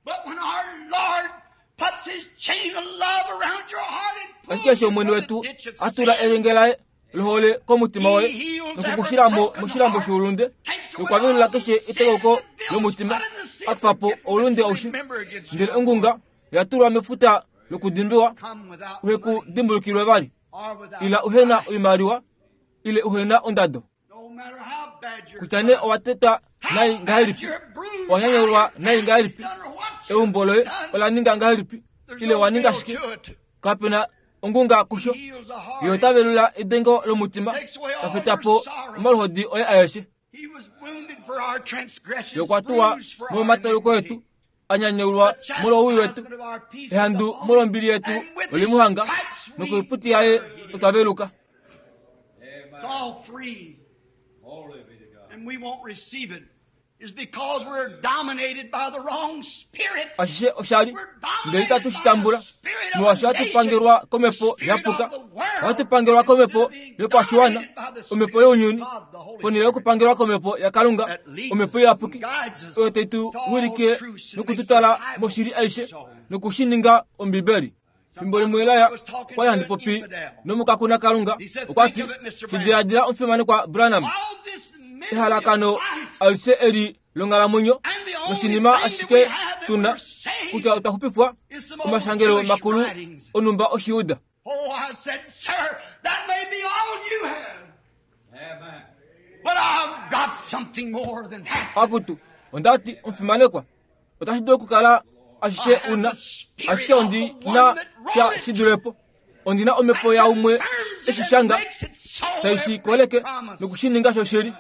But when our Lord puts his chain of love around your heart and pulls Ashike eshi you Omwene from the wetu ditch of a tula sin, elyenge laye lohole komutima He woye heals noku ku every shila mo broken moshilambo heart, shoulunde takes away nokwavelula all keshe sin etekauko and the bills lomutima, put in the sea a kufa po of oulunde forgetfulness aushe. to remember against Ndele you. ongunga oya tulwa mefuta lokudimbiwa, Come without uhe ku money dimbulukilwe vali. or without Ila uhena price. oimaliwa ile uhena ondado. No matter how bad your Kutya nee owa tetwa how nai bad ngahelipi, your bruise, owa nyanyulwa how your nai ngahelipi, done or what you've eumbo loye done, ola ninga ngahelipi, there's ile no wa ninga bill shike, to it. kape na ongunga kusho. He heals the heart. Ye ota velula edengo lomutima, Takes away ta all feta your po sorrow. omaluhodi oye aeshe. He was wounded for our transgressions, Ye okwa tuwa bruised for our molwomatauluko etu, iniquity. a nyanyaulwa The molwowii wetu, chastisement of our peace was ehandu upon him, molwombili yetu and with oli his mu hanga, stripes we nokoiputi yaye were healed. otwa veluka. It's all free. And we won't receive it. Is because we're dominated by the wrong spirit. Ashishe oshali, We're ndele dominated itatu by shi the tambula, spirit of molwaashi a ohatu nation, pangelwa the komhepo spirit ya of puka, the world, ohatu pangelwa instead komhepo of being yopashiwana, dominated by the omhepo spirit of younyuni, God, the Holy ponhele Spirit, yokupangelwa komhepo yaKalunga, that leads omhepo us and iyapuki, guides us oyo tai tu to all wilike truths and noku tu makes the twala Bible moshili aishe so. noku shi ninga Ombibeli. Fimbo limwe Sometimes Elaya I was talking okwa li to handi an popi infidel. nomukakuna Kalunga, He said, okwa Think ti, of it, Mr. Branham. Shidiladila omufimanekwa Branham, All this misery of ehalakano life, alishe eli longhalamwenyo and the only noshinima thing that ashike we have that tuna we're saved kutya otwa xupifwa is some old omashangelo Jewish makulu writings. onhumba Oshijuda. Oh, I said, sir, that may be all you have. But I've got something more than that. Akutu, onda ti omufimanekwa, otashi dulu okukala I ashishe have una, the spirit ashike of ondi the na one that sha wrote it. shi dulepo. Ondi na omhepo That yaumwe confirms it eshi and shanga, makes it so tai shi every koleke promise. noku shi ninga shoshili.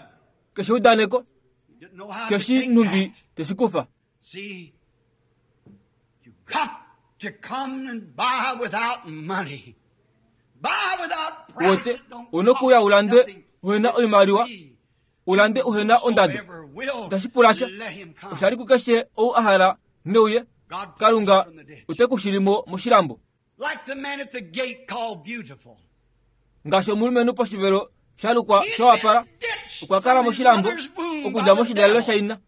Keshe eudaneko, You didn't know how to keshe take nhumbi that. teshi kufa. See, you got to come and buy without money. Buy without price. Wote, It don't ou na okuya cost u lande nothing. uhena It's oimaliwa, free. u lande uhena ondado. Whosoever will, Itashi pula sha. let him come. Osha li kukeshe ou a hala neuye, God pulls Kalunga you from the ditch. ote ku shilimo moshilambo. Like the man at the gate called Beautiful. Ngaashi omulumenhu poshivelo sha lukwa He had sha wapala, been ditched okwa kala from his moshilambo mother's womb by okudja the moshidalelo devil, shaina,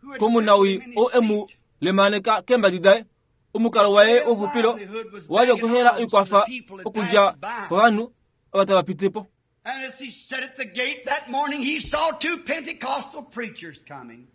who had komunawi tricked him in ou his e mu feet. lemaneka keembadi daye. Omukalo waye Their wouxupilo livelihood was owa li begging okuhela alms to oikwafa the people that okudja passed by. kovanhu ava tava piti po. And as he sat at the gate that morning, he saw two Pentecostal preachers coming.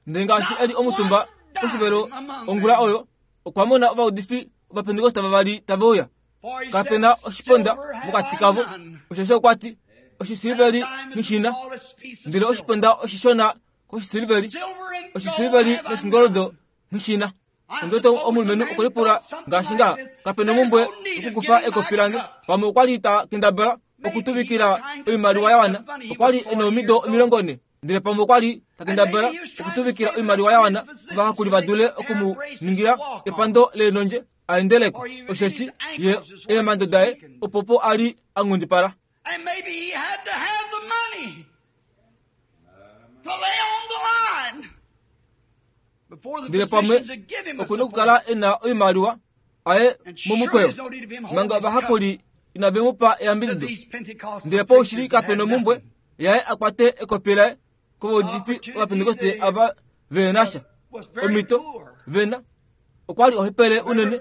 Ndele ngaashi Not e li omutumba one dime poshivelo among ongula them. oyo, okwa mona ovaudifi ovapentekoste vavali tave uya. For he Kape said, na oshiponda Silver have mokati I kavo, none. osheshi okwa ti, And a oshisiliveli dime is the nghishina, smallest piece of ndele silver. oshiponda oshishona koshisiliveli, Silver and gold oshisiliveli have I noshingoldo none. nghishina. I Ondoto suppose the omulumenhu man okwe lipula thought something ngaashi like ngaha, this. kape na There's omumbwe no need of okukufa getting my ekopi lange. cup. Pamwe okwa li ta kendabala Maybe he was okutuvikila trying to oimaliwa save ya wana, enough money. He okwa was li e 40 na omido years old. 40, ndele pamwe okwa li ta And maybe kendabala he was trying to okutuvikila save oimaliwa enough ya money wana for physicians ovahakuli to va make dule a pair oku mu of braces to ningila walk on. epando leenondje a endeleko, Or even osheshi his ye ankles is where he eemhando was daye weakened. opopo a li a nghundipala. And maybe he had to have the money to lay on the line before the Ndele pamwe physicians would give him a oku na support. okukala e na oimaliwa aye And sure, momukweyo, there's no need of him holding manga his cup. ovahakuli Inave mu pa eyambidido. Ndele paushili kape nomumbwe yaye a kwate ekopi laye kovaudifi Ovapentekoste ava ve na sha omhito ve na. Okwa li ohepele unene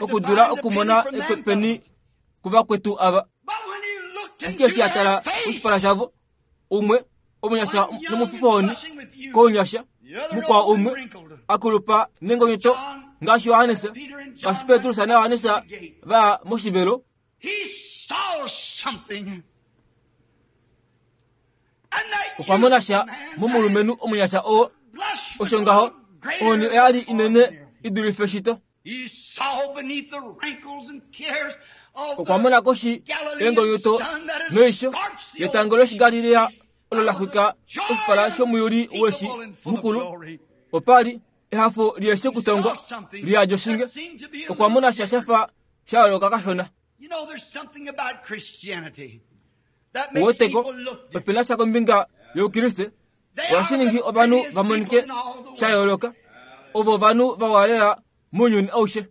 okudula okumona epeni kuvakwetu ava. Ashike eshi a tala koshipala shavo, umwe omunyasha nomufifohoni kounyasha, mukwao umwe a kulupa nengonyoto ngaashi Johannes, ngaashi Petrus naJohannes va ya moshivelo. Okwa mona sha momulumenhu omunyasha oo, osho ngaho ohoni oya li inene i dulife shito. Okwa mona koshi yengonyuto noisho yetango lOshigalilea olo la xwika oshipala shomuyuli weshi mukulu. Opa li ehafo lieshe kutongwa liyadi oshinge. Okwa mona sha sha fa sha yooloka kashona. Uweteko, ope na sha kombinga yOukriste ohashi ningi ovanhu va monike sha yooloka. Ovo ovanhu vawa lela mounyuni aushe.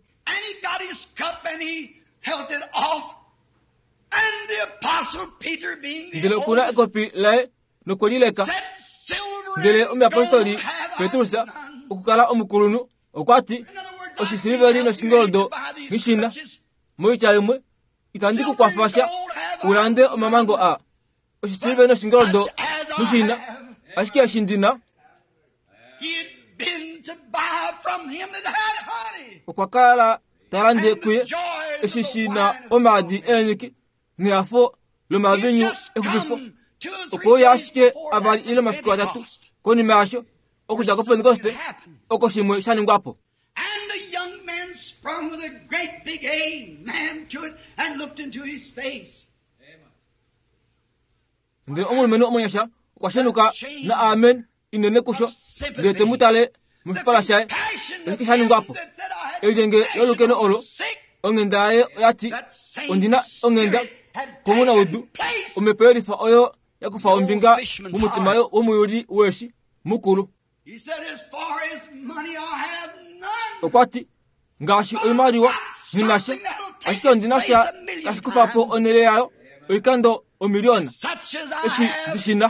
Ndele oku na ekopi laye nokwe li leka. Ndele omuyapostoli Petrus, okukala omukulunhu, okwa ti, Oshisiliveli noshingoldo nghi shi na. Moitya imwe, itandi ku kwafa sha u lande omamango aa. Oshisiliveli noshingoldo nghi shi na, ashike eshi ndi na. Okwa kala ta lande kuye eshi shi na omaadi eenyiki nehafo lomavinyu exupifo. Okwe uya ashike avali ile omafiku atatu konima yasho, okudja kOpentekoste, oko shimwe sha ningwa po. And the young man sprung with a great big amen to it and looked into his face. Ndele omulumenhu omunyasha okwa shenuka na amen inene kusho, ndele te mu tale moshipala shaye. Oshike sha ningwa po? Elyenge lolukeno olo, onghenda yaye oya ti, Ondi na onghenda komunaudu. Omhepo yelifa oyo ya kufa ombinga momutima womuyuli weeshi mukulu. Okwa ti, Ngaashi oimaliwa nghi na sha, ashike ondi na sha tashi kufa po onhele yayo oikando omiliona eshi ndi shi na.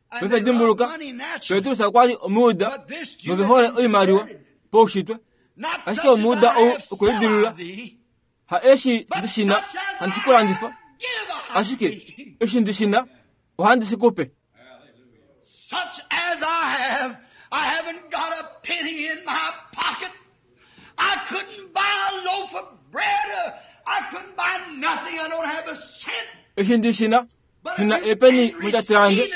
Paife dimbuluka, Petrus okwa li Omujuda nove hole oimaliwa paushitwe, ashike Omujuda ou okwe lidilulula. Ha eshi ndi shi na handi shi ku landifa, ashike eshi ndi shi na ohandi shi ku pe. Such as I have, I haven't got a penny in my pocket. I couldn't buy a loaf of bread. I couldn't buy nothing. I don't have a cent. Eshi ndi shi na, nghi na eepeni mondjato yange.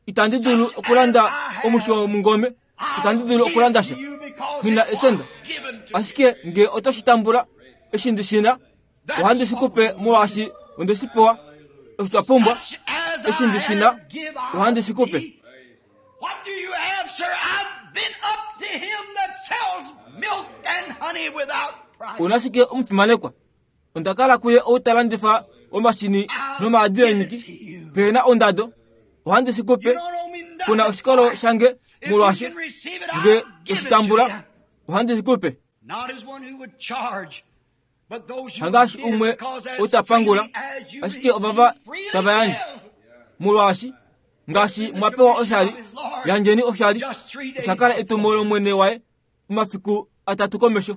Itandi dulu okulanda omushi womungome. Itandi dulu okulanda sha. Nghi na esenda. Ashike nge oto shi tambula, eshi ndi shi na, ohandi shi ku pe molwaashi onde shi pewa. Osho twa pumbwa, eshi ndi shi na, ohandi shi ku pe. Una shike omufimanekwa? Onda kala kuye ou ta landifa omashini nomaadi eenyiki pehe na ondado. Ohandi shi ku pe. Ku na oshikolo shange molwaashi nge to shi tambula, ohandi shi ku pe. Hangaashi umwe ou ta pangula, ashike ovava tava yandje. Molwaashi ngaashi mwa pewa oshali, yandjeni oshali. Osha kala etumo lOmwene waye omafiku atatu komesho.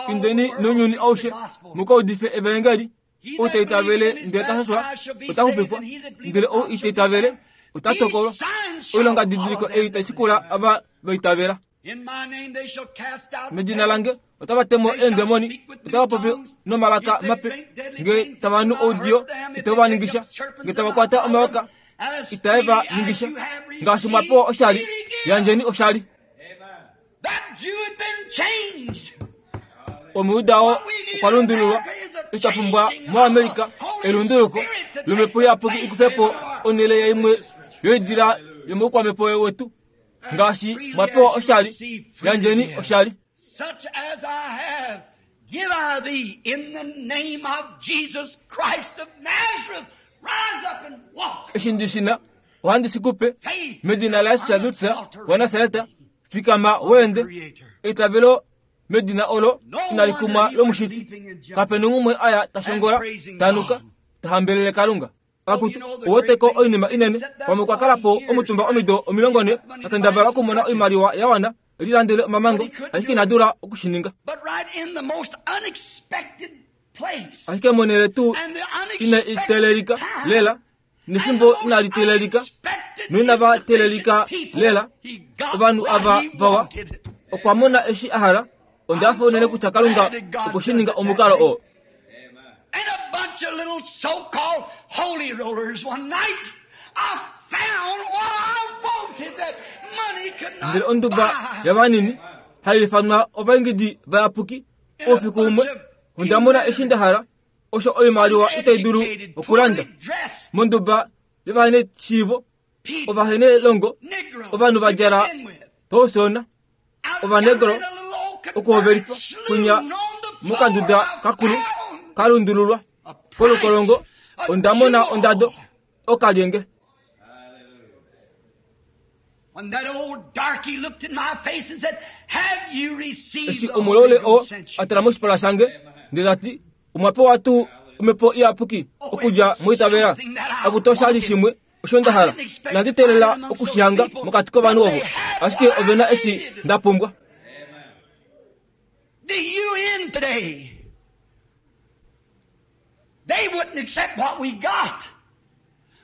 Indeni nounyuni aushe mu ka udife evaengeli. Ou ta itavele ndele ta shashwa ota xupifwa, ndele ou ita itavele ota tokolwa. Oilongadidiliko ei tai shikula ava va itavela. Medina lange otava te mo eendemoni, otava popi nomalaka mape, nge tava nu oudiyo itave va ningisha, nge tava kwata omayoka itae va ningisha. Ngaashi mwa pewa oshali, yandjeni oshali. Omuyuda oo okwa lundululwa. Eshi twa pumbwa moAmerica elunduluko lomhepo iyapuki i kufe po onhele yaimwe yoidila yomoukwamhepo wetu. Ngaashi mwa pewa oshali, yandjeni oshali. Such as I have, give I thee in the name of Jesus Christ of Nazareth. Rise up and walk. Eshi ndi shi na, ohandi shi ku pe. Medina laJesus Kristus waNasaret, fikama weende. Eitavelo Medina olo inali kumwa lomushiti, kape noumwe aya ta shongola, ta nuka, ta hambelele Kalunga. Akutu, ouweteko oinima inene, pamwe okwa kala po omutumba omido 40 ta kendabala okumona oimaliwa ya wana e lilandele omamango, ashike ina dula oku shi ninga. Ashike monhele tuu ine i teelelika lela, nefimbo inali teelelika, noinava teelelika lela, ovanhu ava vawa, okwa mona eshi a hala. Onda hafa unene kutya Kalunga okwe shi ninga omukalo oo. And a bunch of little so-called holy rollers one night, I found what I wanted that money could not Ndele onduba buy. yavanini hai ifanwa ovaingidi vayapuki oufiku umwe onda mona eshi nda hala osho oimaliwa itai dulu okulanda monduba yovaneshiivo ovahenelongo ovanhu va djala pausona Ovanegro okuhovelifa kunya mokanduda kakulu ka lundululwa polukolongo onda mona ondado okalyenge. Eshi omulaule oo a tala moshipala shange ndele ta ti, Omwa pewa tuu omhepo iyapuki okudja moitavela? Akutu osha li shimwe osho nda hala. Inandi teelela oku shi hanga mokati kovanhu ovo, ashike ove na eshi nda pumbwa. The UN today, they wouldn't accept what we got,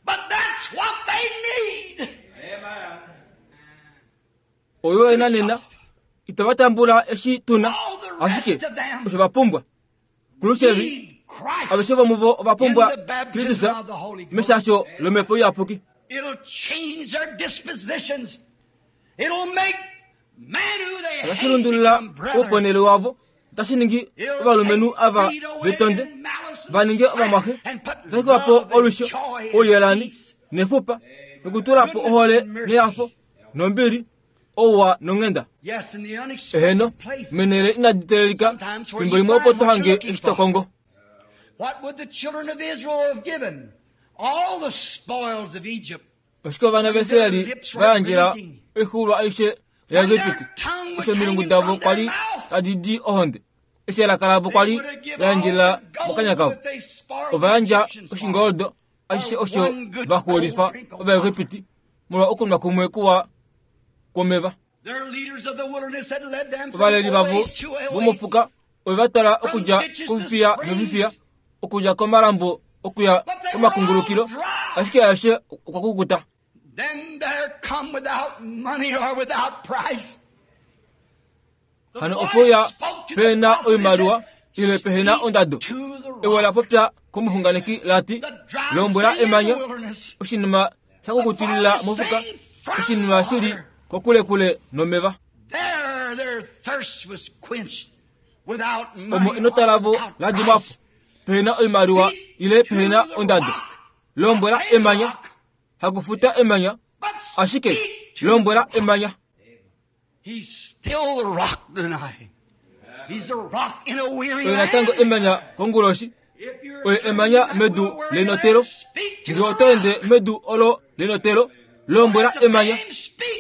but that's what they need. Oyo ena nena itava tambula eshi tu na, ashike osho va pumbwa. Khrushchev, aveshe vomuvo ova pumbwa Kristus meshasho lOmhepo Iyapuki. Otashi lundulula ouponele wavo, otashi ningi ovalumenhu ava vetonde va ninge ovamwaxe, otashi kufa po olwisho, ouyelani nefupa, nokutula po ohole nehafo nombili ouwa nonghenda. Eheno, meenhele inadi teelelika, fimbo limwe opo to hange eshi to kongo. Ashike ovana vaIsrael va yandjela oixuulwa aishe yaEgipiti, eshi omilungu davo kwa li tadi di ohonde, eshi elaka lavo kwa li la yandjela mokanya kavo. Ova yandja oshingoldo ashishe osho va xuulifa Ovaegipiti molwa okunwa kumwe kuwa kwomeva. Ovaleli vavo vomofuka ove va twala okudja kofifiya nofifiya, okudja komalambo okuya komakungulukilo, ashike aeshe okwa kukuta. Hano ope uya pehe na oimaliwa ile pehe na ondado. Ewe la popya komuxunganeki la ti, Lombwela emanya, oshinima sha kukutilila mofuka, oshinima shi li kokulekule nomeva. Omo enota lavo la dimwa po, pehe na oimaliwa ile pehe na ondado. Lombwela emanya, hakufuta emanya, ashike lombwela emanya. Oye natango emanya konguloshi. Oye emanya medu lenotelo. Ngee oto ende medu olo lenotelo, lombwela emanya.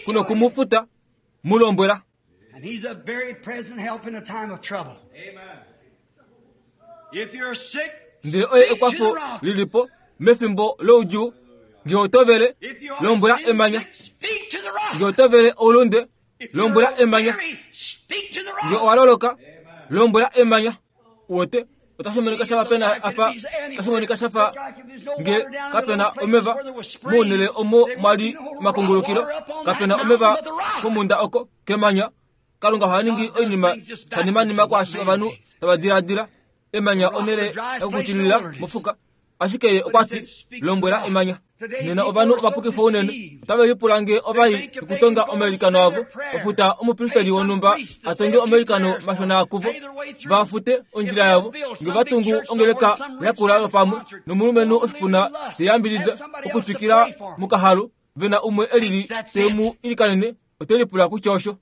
Kuno ku mu futa, mu lombwela. Ndele oye ekwafo lili po mefimbo loudjuu. Nge oto vele, lombwela emanya. Nge oto vele oulunde, lombwela emanya. Nge owa loloka, lombwela emanya. Uwete, otashi monika shafa pena apa, otashi monika shafa nge kapena omeva mounele omo mwa li omakungulukilo, kapena omeva komunda oko kemanya. Kalunga oha ningi oinima shanimanima kwaashi ovanhu tava diladila. Emanya onhele yokukutilila mofuka. Ashike ye okwa ti, Lombwela emanya. Nena ovanhu ovapukifa unene otave lipula nge ova i okutonga omailikano avo, ofuta omupristeli wonhumba a tonge omailikano mashona kuvo, va fute ondjila yavo, nge va tungu ongeleka yakula yopamwe nomulumenhu oshipuna te yambidida okutwikila mokahalu, ve na umwe e lili te mu ilikanene, ote lipula kutya osho.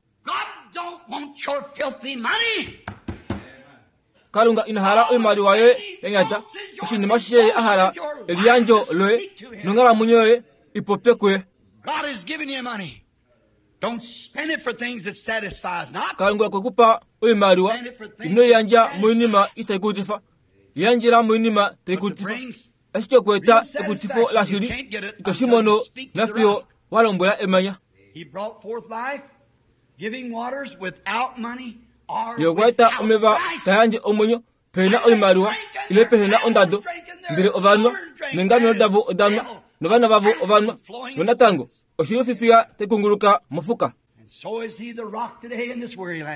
Kalunga ina hala oimaliwa yoye ya nyata. Oshinima ashishe ye a hala eliyandjo loye nonghalamwenyo yoye i popye kuye. Kalunga okwe ku pa oimaliwa, ino i yandja moinima itai kutifa. Yandjela moinima tai kutifa. Ashike okueta ekutifo lashili ito shi mono nafiyo wa lombwela emanya. Ye okwa eta omeva ta yandje omwenyo pehena oimaliwa ile pehena ondado, ndele ovanwa neengamelo davo odanwa novana vavo ovanwa, nonatango oshili ofifiya tai kunguluka mofuka.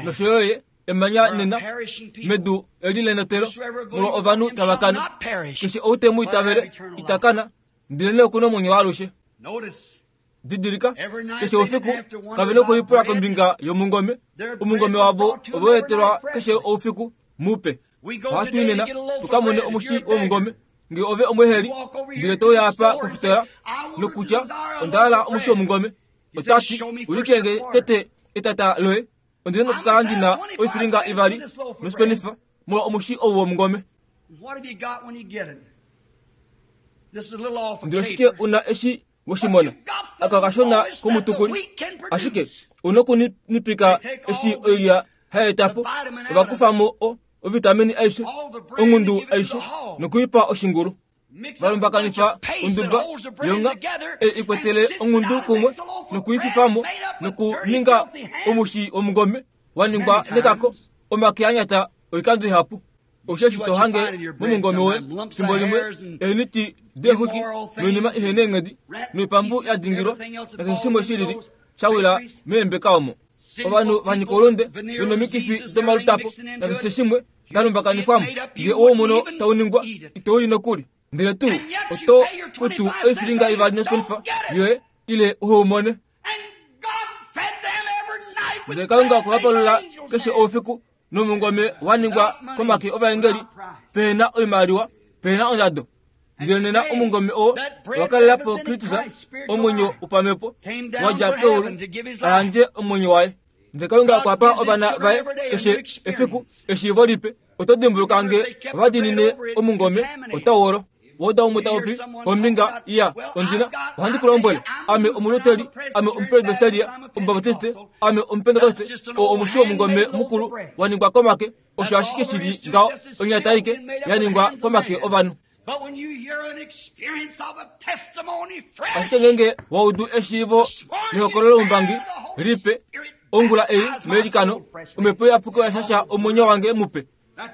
Nosho yo ye emanya nena medu eli lenotelo molwa ovanhu tava kana. Keshe ou te mu itavele ita kana, ndelenee oku na omwenyo waalushe. Didilika, keshe oufiku kave nokulipula kombinga yomungome. Omungome wavo ove u etelwa keshe oufiku mupe. Ohatu i nena tu ka mone omushi womungome. Nge ove omweeheli, ndele to uya apa kofitola nokutya, Onda hala omushi womungome. Ota ti, Ulike nge tete etata loye. Ondi na okukala ndi na oifilinga ivali noshipenifa molwa omushi ou womungome. Ndele oshike u na eshi we shi mona? Aka okashona komutukuli. Ashike u nokuninipika eshi oilya hai eta po. Ova kufa mo o, ovitamini aishe, ongundu aishe, noku i pa oshingulu. Va lumbakanifa onduba yonga ei i kwetele ongundu kumwe noku i fifa mo nokuninga omushi womungome wa ningwa nekako, omake a nyata oikando ihapu. Osheshi to hange momungome woye fimbo limwe eeniti deexwiki noinima ihe neenghedi noipambu ya dingilwa nakeshe shimwe shi lili sha wila meembeka omo. Ovanhu va nyika oulunde ve nomikifi domalutapo nakeshe shimwe da lumbakanifwamo. Ngee owo mono tau ningwa, ito u li nokuli. Ndele tuu oto futu oifilinga ivali noshipenifa yoye ile uhe u mone. Ndele Kalunga okwe va palula keshe oufiku nomungome wa ningwa komake ovaengeli, pehe na oimaliwa, pehe na ondado. Ndele nena omungome oo owa kalela po Kristus, omwenyo wopamhepo, wa dja keulu, a yandje omwenyo waye. Ndele Kalunga okwa pa ovana vaye keshe efiku eshiivo lipe. Oto dimbuluka nge ova diinine omungome otau olo. Wauda umwe ta popi kombinga ya ondina, ohandi ku lombwele, ame Omuluteri, ame Omupresbyteria, Omubaptiste, ame Omupentekoste, oo omushi womungome mukulu wa ningwa komake, osho ashike shi li ngaho, onyata aike ya ningwa komake ovanhu. Ashike ngeenge wa udu eshiivo lehokololo loumbangi lipe, ongula ei meilikano, Omhepo Iyapuki oya shasha omwenyo wange mupe.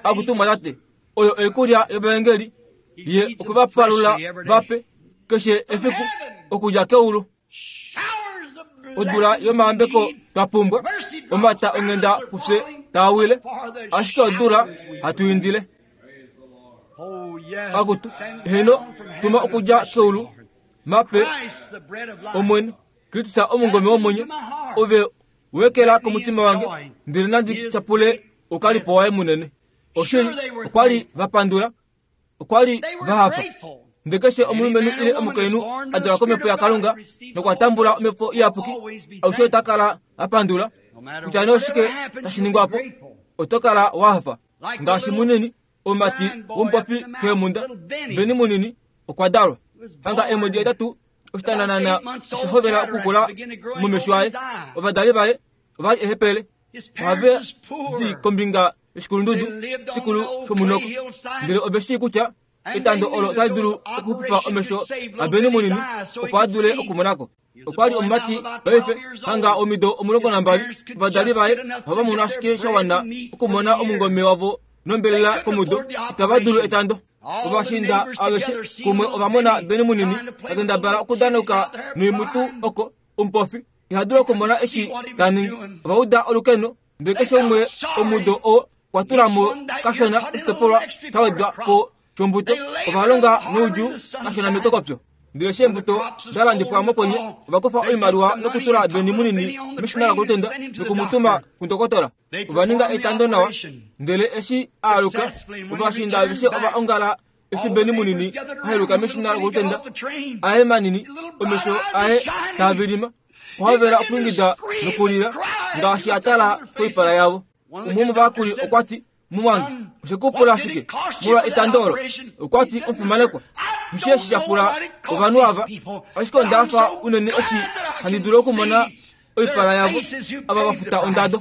Akutu tate, oyo oikulya yovaengeli, ye okwe va palula vape keshe efiku okudja keulu. Odula yomayambeko twa pumbwa, omata onghenda kufye taa wile, ashike odula hatu indile. Akutu, heeno, tuma okudja keulu, mape Omwene, Kristus omungome womwenyo, ove wekela komutima wange, ndele nandi tyapule oukalipo waye munene. Oshili, okwa li va pandula, okwa li va hafa. Ndele keshe omulumenhu ile omukainhu a dalwa komhepo yaKalunga nokwa tambula omhepo iyapuki, alushe ota kala a pandula. Kutya nee oshike tashi ningwa po, oto kala wa hafa. Ngaashi munini, omumati womupopi keemhunda, Beni munini, okwa dalwa. Hanga eemwedi hetatu oshitananana osha hovela okukula momesho aye. Ovadali vaye ova li ehepele. Ohave di kombinga yoshikulundudu shikulu shomunoko, ndele ove shii kutya etando olo otali dulu okuxupifa omesho aBeni munini opo a dule okumona ko. Okwa li omumati paife hanga omido 12. Ovadali vaye ohava mono ashike sha wana okumona omungome wavo nombelela komudo, itava dulu etando. Ovashiinda aveshe kumwe ova mona Beni munini ta kendabala okudanauka noimutu oko omupofi iha dulu okumona eshi ta ningi. Ova uda olukeno, ndele keshe umwe omudo oo okwa tula mo kashona oshitopolwa sha wedwa po shombuto. Ova longa noudjuu kashona metokopyo. Ndele eshi eembuto da landifwa mokwenye, ova kufa oimaliwa nokutula Beni munini meshina lokulutenda noku mu tuma kundokotola. Ova ninga etando nawa, ndele eshi a aluka, ovashiinda aveshe ova ongala eshi Beni munini a heluka meshina lokulutenda, aye manini, omesho aye taa vilima, okwa hovela okwiingida nokulila ngaashi a tala koipala yavo. Umwe womovayakuli okwa ti, Mumwange, oshe ku pula shike molwa etando olo? Okwa ti, Omufimanekwa, nghi eshi sha pula ovanhu ava, ashike onda hafa unene eshi handi dulu okumona. Oipala yavo ava va futa ondado.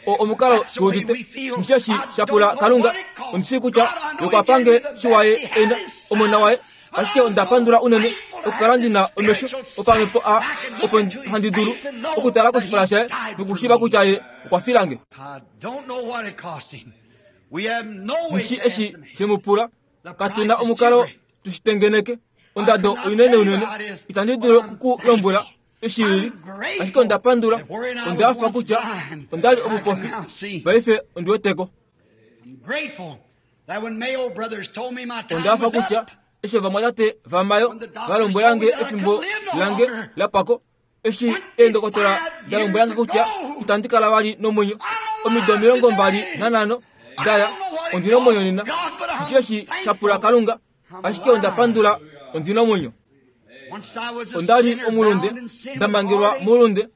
O omukalo tu udite musheshi sha pula Kalunga. Ondi shii kutya okwa pange shiwaye ena omona waye, ashike onda pandula unene okukala ndi na omesho opamhepo a opo handi dulu okutala koshipala shaye nokushiiva kutya ye okwa fila nge. Mushi eshi she mu pula, katu na omukalo tu shi tengeneke. Ondado oinene unene, itandi dulu oku ku lombwela eshi ili, ashike onda pandula, onda hafa kutya onda li omupofi, paife ondi weteko. Onda hafa kutya eshi ovamwatate vaMayo va lombwela nge efimbo lange la pwako, eshi eendokotola da lombwela nge kutya itandi kala vali nomwenyo omido 25 daya, ondi na omwenyo nena. Osheshi sha pula Kalunga, ashike onda pandula ondi na omwenyo. Onda li omulunde, nda mangelwa moulunde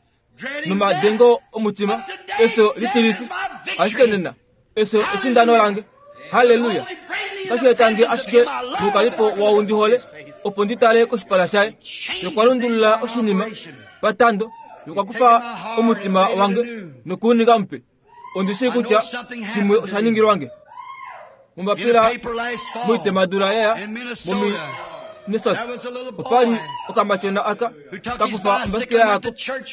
nomadengo omutima, efyo litilifi, ashike nena efyo efindano lange. Halleluya! Otashi eta nge ashike moukalipo waou ndi hole, opo ndi tale koshipala shaye. Ye okwa lundulula oshinima patando, ye okwa kufa omutima wange noku u ninga mupe. Ondi shii kutya shimwe osha ningilwa nge. Mombapila moitemadula yaya moMinnesota, opa li okamatyona aka ka kufa ombasikela yako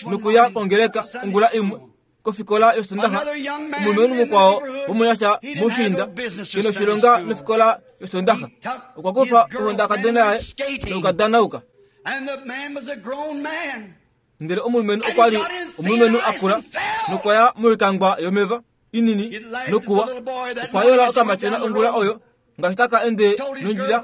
nokuya kongeleka ongula imwe kofikola yOsondaxa. Omulumenhu mukwao womunyasha moushiinda ke noshilonga nofikola yOsondaxa okwa kufa ohondakadona yaye nokukadanauka. Ndele omulumenhu okwa li omulumenhu a kula nokwa ya moikangwa yomeva inini nokuwa. Okwa yola okamatyona ongula oyo ngaashi taka ende nondjila,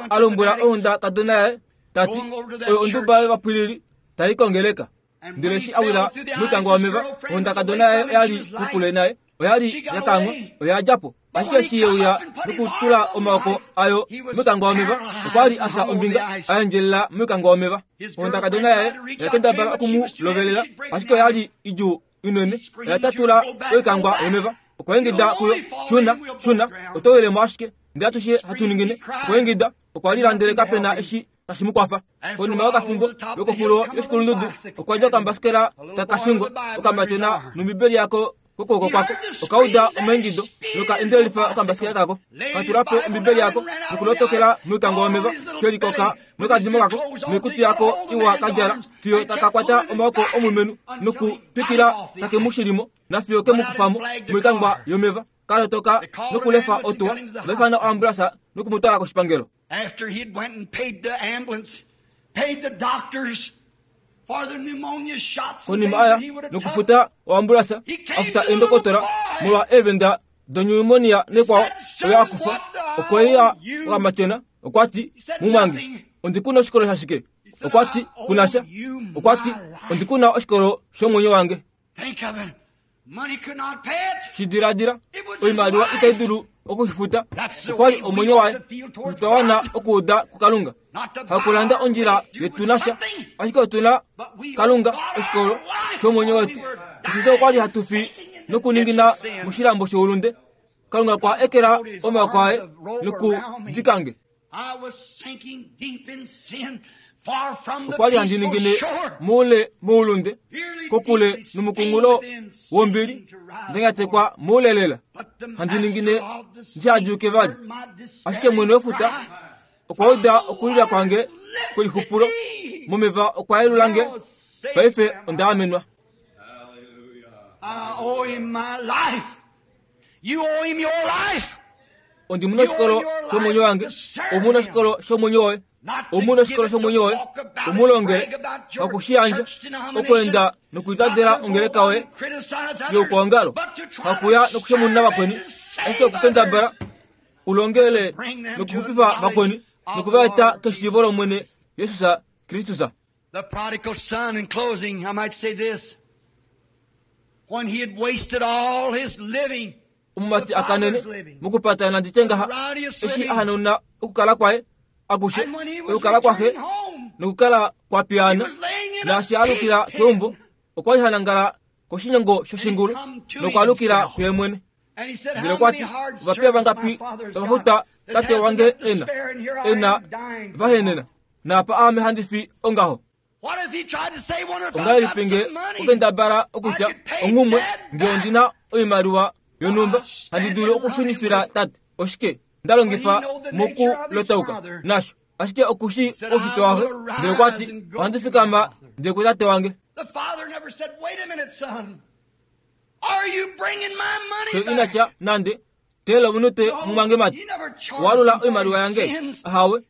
a lombwela ohondakadona yaye ta ti, Oyo onduba yovapwilili tai kongeleka. Ndele eshi a wila moikangwa yomeva, ohondakadona yaye oya li kokule naye, oya li ya kanghwa, oya dja po. Ashike eshi ye uya nokutula omaoko ayo moikangwa yomeva, okwa li a fya ombinga, a endjelela moikangwa yomeva. Ohondakadona yaye oya kendabala oku mu lovelela, ashike oya li idjuu inene, oya tatula oikangwa yomeva. Okwa ingida kuyo, Shuna, shuna, oto wile mo ashike. Ndele atushe hatu ningine. Okwa ingida, okwa lila ndele kape na eshi tashi mu kwafa. Konima yokafimbo, lokoxulo yoshikulundudu okwa dja okambasikela taka shingwa, okamatyona nOmbibeli yako kokwooko kwako. Oka uda omaingido noka endelelifa okambasikela kako, ka tula po Ombibeli yako nokulotokela moikango yomeva, ke likoka nokadimo kako noikutu yako iwa ka djala, fiyo taka kwata omaoko omulumenhu nokutwikila take mu shilimo nafiyo ke mu kufa mo moikangwa yomeva, ka lotoka nokulefa otuwa, va ifana oambulansa noku mu twala koshipangelo. After he'd went and paid the ambulance, paid the doctors for the pneumonia shots and Konima things aya that he would have took, nokufuta oambulansa, a futa eendokotola molwa eevenda donyumonia nekwao oyo a kufa, okwe uya okamatyona, okwa ti, Mumwange, ondi ku na oshikolo shashike? Okwa ti, Ku na sha. Okwa ti, Ondi ku na oshikolo shomwenyo wange. Think of it. Money could not pay it. Shi diladila, oimaliwa itai dulu oku shi futa. Okwa li omwenyo waye. Otwa wana okuuda kuKalunga. Hakulanda ondjila yetu nasha, ashike otu na Kalunga oshikolo shomwenyo wetu. Osheshi okwa li hatu fi nokuningina moshilambo shoulunde. Kalunga okwa ekela omaoko aye nokudika nge. I was sinking deep in sin, far from the Okwa li handi peaceful ningine shore. moule moulunde, kokule nomukunghulo wombili, nda nyatekwa moulelela. But the Handi ningine master of the sea ndihadyuke vali. heard my Ashike mwene wefuta despairing cry. okwa uda okulila kwange kwelixupulo momeva okwa yelula nge. Paife onda amenwa. I owe him my life. You owe him your life. Ondi mu na oshikolo shomwenyo wange, omu na oshikolo shomwenyo woye, omu na oshikolo shomwenyo woye, omu longele hakushiyandja okweenda nokuitadela ongeleka yoye youkwaongalo, hakuya nokushemununa vakweni, ashike okukendabala u longele nokuxupifa vakweni noku va eta keshiivo lOmwene Jesus Kristus. The prodigal son, in closing, I might say this. When he had wasted all his living, Omumati a kanene mokupata nandi tye ngaha, eshi a hanauna okukala kwaye akushe, and when he was okukala kwaxe returning home, nokukala kwa he piyaana, was laying in a naashi a alukila pig keumbo, pen. okwa li ha nangala koshinyango shoshingulu nokwa alukila kuye mwene. And he said, Ndele How okwa many ti, hard ovapiya servants my vangapi father's tava got futa that tate has wange enough to ena, spare, and here I ena am dying va henena, naapa aame handi fi ongaho. Ongahelipi nge okendabala okutya onghumwe nge ondi na oimaliwa yonhumba handi dulu okushunifila tate oshike nda longifa mokulotauka nasho ashike oku shii oushitwe waxe ndele okwa ti ohandi fikama ndiye kutate wange xe ina tya nande teela omunute mumwange mati walula oimaliwa yange ahawe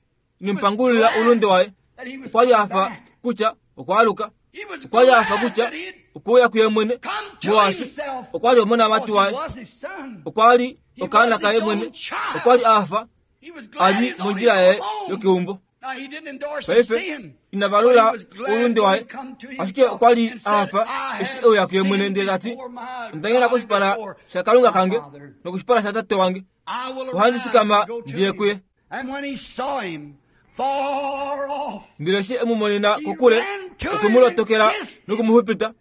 nimpangulila oulunde waye okwa li a fa kutya okwa aluka okwa li a fa kutya okuuya kuye mwene molwaashi okwa li omonamati waye okwa li okaana kaye mwene okwa li a fa a li mondjila yaye yokeumbo paife ina valula oulunde waye ashike okwa li a hafa eshi e uya kuye mwene ndele ta ti onda ngena koshipala shakalunga kange nokoshipala shatate wange ohandi fikama ndiye kuye Ndele eshi e mu monena kokule, okwe mu lotokela noku mu xupita.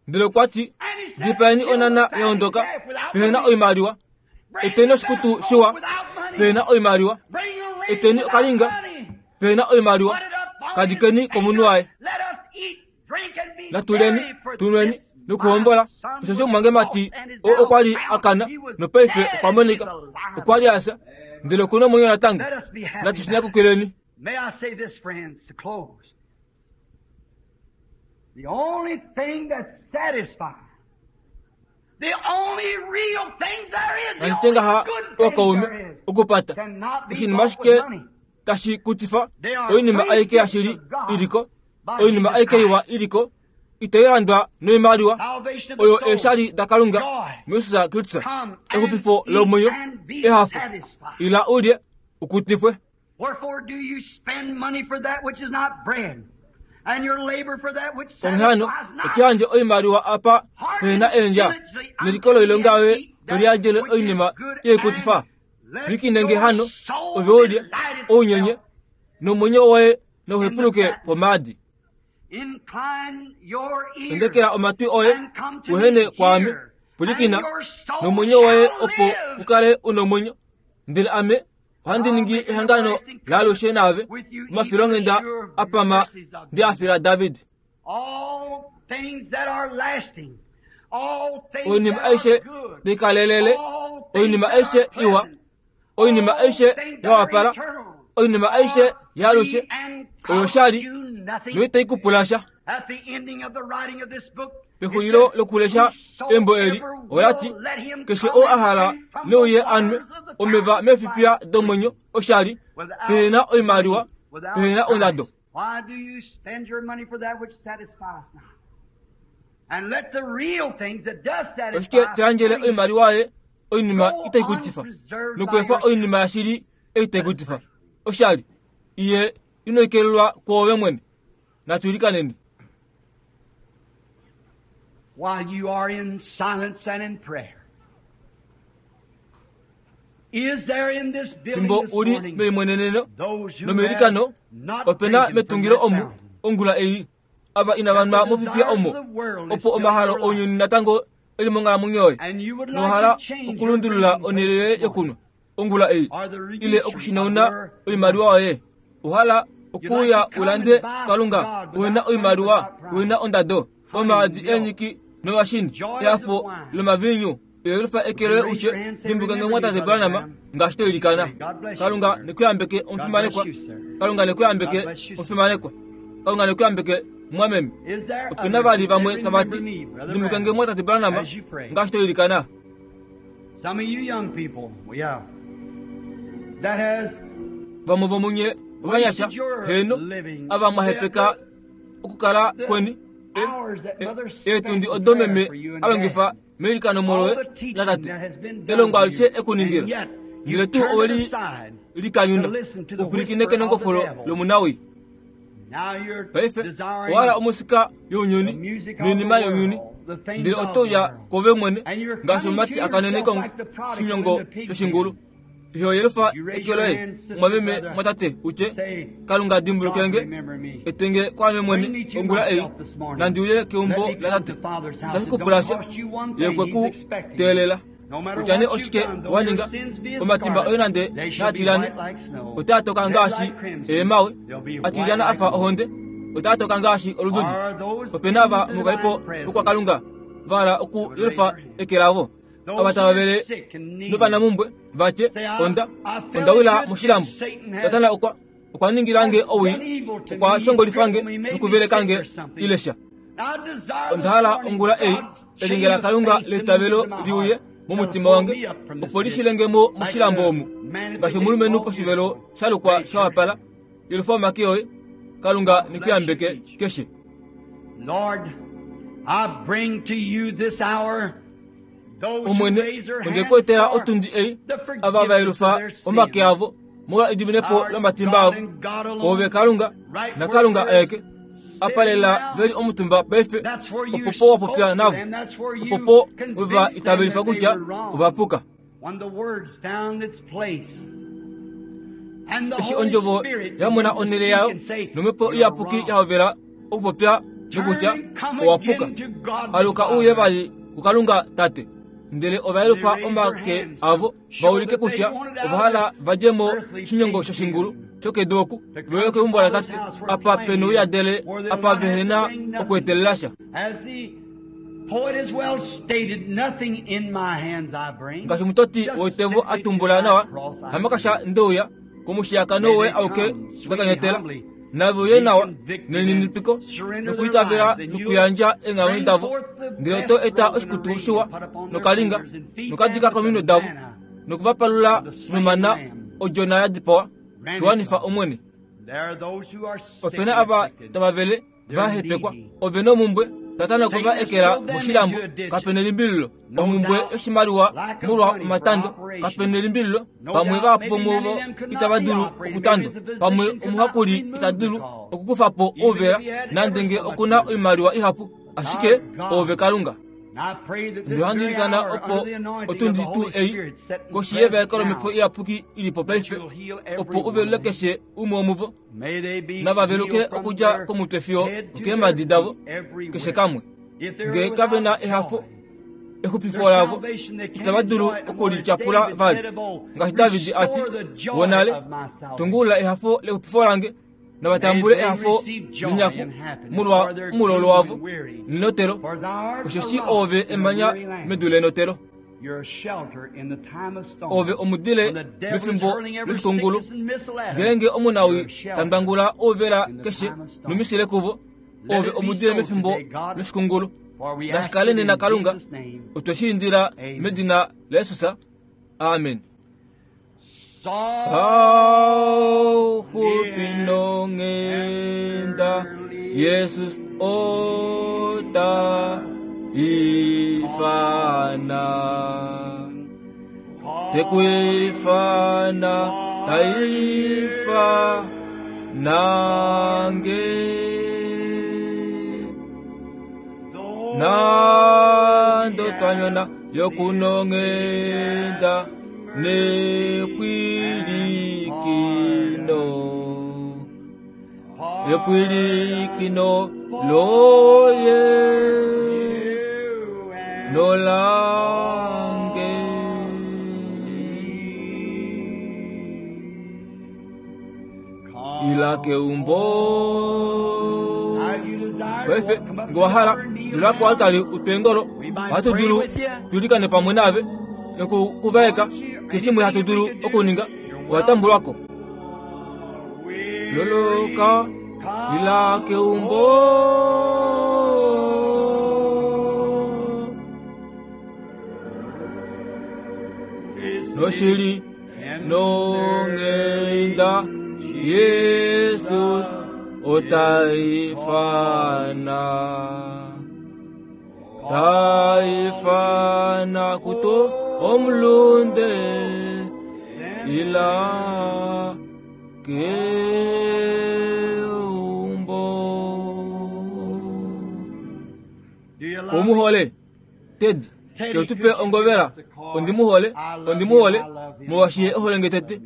Ndele okwa ti, Dipaeni onana ya ondoka pehe na oimaliwa, eteni oshikutu shiwa pehe na oimaliwa, eteni okalinga pehe na oimaliwa, ka dikeni komunhu waye. Natuleni, tunweni nokuhombola, osheshi omumwangemati oo okwa li a kana nopaife okwa monika, okwa li a fya, ndele oku na omwenyo natango. Natu shi nyakukileni. May I say this, friends, to close. The only thing that satisfies, the only real thing there is, the Nandi only tye ngaha good thing ookaume there is, okupata cannot be oshinima bought ashike with money. tashi kutifa oinima aike yashili iliko oinima aike iwa iliko itayi landwa noimaliwa oyo eeshali dakalunga muyesus kristus exupifo lomwenyo ehafo ila ulye ukutifwe Wherefore do you spend money for that which is not bread, and your labor for that which onghee hano satisfies not? oto yandje oimaliwa apa pehena eendja neliko loilonga yoye to liyandjele oinima yeikutifa pwilikine nge hano ove ulye ounyenye nomwenyo woye nauhepuluke pomaadi Incline your ear endekela omatwi oye and come to uhene me kwaame here, pwilikina and your soul nomwenyo woye shall opo live. u kale u nomwenyo ndele ame ohandi ningi ehangano laalushe naave omafilonghenda a pama ndi a fila David. All things that are lasting, all things Oinima that are aishe good, tai kalelele, all things oinima that are aishe iwa, pleasant, oinima all aishe things ya that are wapala, eternal, oinima aishe are yaalushe, free and oyo cost shali you nothing. noitai ku pula sha. At the ending of the writing of this book, it Pexulilo says, lokulesha embo eli, Whosoever ola ti, will, let him Keshe come oo a and hala drink from ne uye the a nwe waters of the omeva fountain of meefifiya life domwenyo oshali, without pehe na oimaliwa, without pehe na price. ondado. Why do you spend your money for that which satisfies not? And let the real things that does Oshike satisfy to yandjele free. oimaliwa yoye oinima Go itai kutifa, unpreserved by nokweefa yourself. oinima yashili ei tai kutifa oshali, iye ino ekelelwa kwoove mwene. Natu ilikaneni. While you are in silence and in prayer. Is there in this building Fimbo this u li morning meimweneneno those who nomeilikano, have not ope na drinken from metungilo that omu fountain? ongula ei ava inava That nwa the mofifiya desires omo, of the world is opo still in omahalo your life. ounyuni natango e li monghalamwenyo yoye, And you would like nohala to change your okulundulula drinking onhele place yoye this morning. yokunwa ongula ei, Or the ile use of okushinauna your oimaliwa money. yoye. Ohala You'd like okuuya to u come lande and buy from Kalunga God uhena without money, oimaliwa, without price. uhena ondado, Honey, omaadi milk, eenyiki novashini, joys of ehafo wine. lomaviinyu. Yelifa eke Would you loye raise utye, your hand and say, Dimbuka nge Remember me, mwatate Brother Branham, Branham? ngaashi to ilikana. Pray. God bless you, Kalunga sir. ne ku yambeke God bless omufimanekwa. you, sir. Kalunga ne ku God yambeke bless you, sister. omufimanekwa. Kalunga ne ku yambeke mumwameme. Is there Ope na others vali who say, vamwe tava Remember ti, me, Brother Dimbuka nge Branham, mwatate Branham, as you pray? ngaashi to ilikana. Some of you young people, yeah, that has Vamwe vomunye ovanyasha, wasted your heno, living, ava mwa the, hepeka the, okukala the kweni, hours that mother spent eetundi in odo prayer meme for you and a longifa dad, meilikano all moloye the teaching latate, that has been done elongo to alishe you, and ekuningila. yet Ndele you tuu turned it oweli aside to likanyuna listen to the upulikine whisper of the kenongofolo devil. lomunawi. Now you're Paife desiring ohala omusika the younyuni music of noinima the younyuni, world, the things ndele of oto the uya world. kove mwene And you're ngaashi coming omumati to a kanene yourself like the prodigal in koshinyongo the pig shoshingulu. pen. Iho yelifa You raise eke your loye, hand, sister, mumwameme brother, mwatate utye, say, Kalunga God, dimbuluke nge, remember me. etenge kwaame Bring mwene me to ongula ei, myself this morning. nandi uye Let keumbo me come latate. to Father's house. Itashi It ku don't pula sha, cost you one ye thing. kwe He's ku expecting you. teelela. No matter Kutya nee what you've oshike done, though wa your ninga, sins be as omatimba oye scarlet, nande they shall be naatilyane, white like snow, otaa toka red ngaashi like crimson, eemawe, they'll be white atilyana a like fa wool. ohonde. Otaa toka ngaashi olududi. Ope na ava mokalipo vokwakalunga va hala okuyelufa eke lavo. Ava tava vele novanamumbwe va tye, Onda, onda wila moshilambo. Satana okwa, okwa ningila nge owii, okwa shongolifa nge nokuveleka nge, ile sha. Onda hala ongula ei elyenge laKalunga leitavelo li uye momutima wange, opo li shile nge mo moshilambo omu, ngaashi omulumenhu poshivelo sha lukwa sha wapala. Yelufa omake oye, Kalunga ne ku yambeke keshe. Lord, I bring to you this hour Omwene, onde ku etela otundi ei, ava va yelufa omake avo molwa ediminepo lomatimba avo. Oove Kalunga, naKalunga aeke, apa lela ve li omutumba paife, opo po wa popya navo, opo po we va itavelifa kutya ova puka. Eshi ondjovo ya mona onhele yayo nomhepo iyapuki ya hovela okupopya nokutya owa puka, aluka uye vali kuKalunga Tate. Ndele ova yelufa omake avo va ulike kutya ova hala va dje mo oshinyongo shoshingulu shokedu oku, ve uye keumbo laTate, apa pe nouyadele, apa vehe na okweetelela sha. Ngaashi omutoti woitevo a tumbula nawa, hamakasha nde uya komushiyakano woye auke nda kanyatela. Nave uye nawa nelininipiko nokwiitavela nokuyandja eenghalamwenyo davo, ndele oto eta oshikutu shiwa nokalinga nokadika kominwe davo noku va palula nomana odjona ya dipawa. Shi wanifa, Omwene. Ope na ava tava vele va hepekwa, ove nomumbwe, Satana okwe va ekela moshilambo, kape nelimbililo, omhumbwe yoshimaliwa molwa omatando, kape nelimbililo, pamwe vahapu vomuvo itava dulu okutandwa, pamwe omuhakuli ita dulu okukufa po ouvela, nande nge oku na oimaliwa ihapu, ashike oove Kalunga. Ndele ohandi ilikana opo otundi tuu ei, koshi yevaeko lOmhepo Iyapuki i li po paife, opo u velule keshe umwe womuvo. Nava veluke okudja komutwe fiyo okeemhadi davo, keshe kamwe. Nge kave na ehafo, exupifo lavo itava dulu oku li tyapula vali. Ngaashi David a ti, Wonale, tungulula ehafo lexupifo lange, nava tambule ehafo nenyaku molwa omulolo wavo nenotelo, osheshi oove emanya medu lenotelo. Ove omudile mefimbo loshikungulu, ngeenge omunawii ta ndwangula ouvela keshe nomisile kuvo, ove omudile mefimbo loshikungulu. Nashi kale nena Kalunga, otwe shi indila medina laJesus. Amen. Pauxupi nonghenda Jesus ota ifana te ku ifana ta ifana nge nando twanyona yokunonghenda nepwilikino epwilikino loye nolange ila keumbo paife nge wa hala ila koaltari utwe engolo ohatu dulu tu likane pamwe naave noku ku vaeka keshe shimwe hatu dulu okuninga owa tambulwa ko loloka ila keumbo noshili nonghenda Jesus ota ifana ta ifana kuto omulunde ila keumbo. Omuhole Ted, ke tu pe ongovela. Ondi mu hole, ondi mu hole, molwaashi ye ohole nge tete.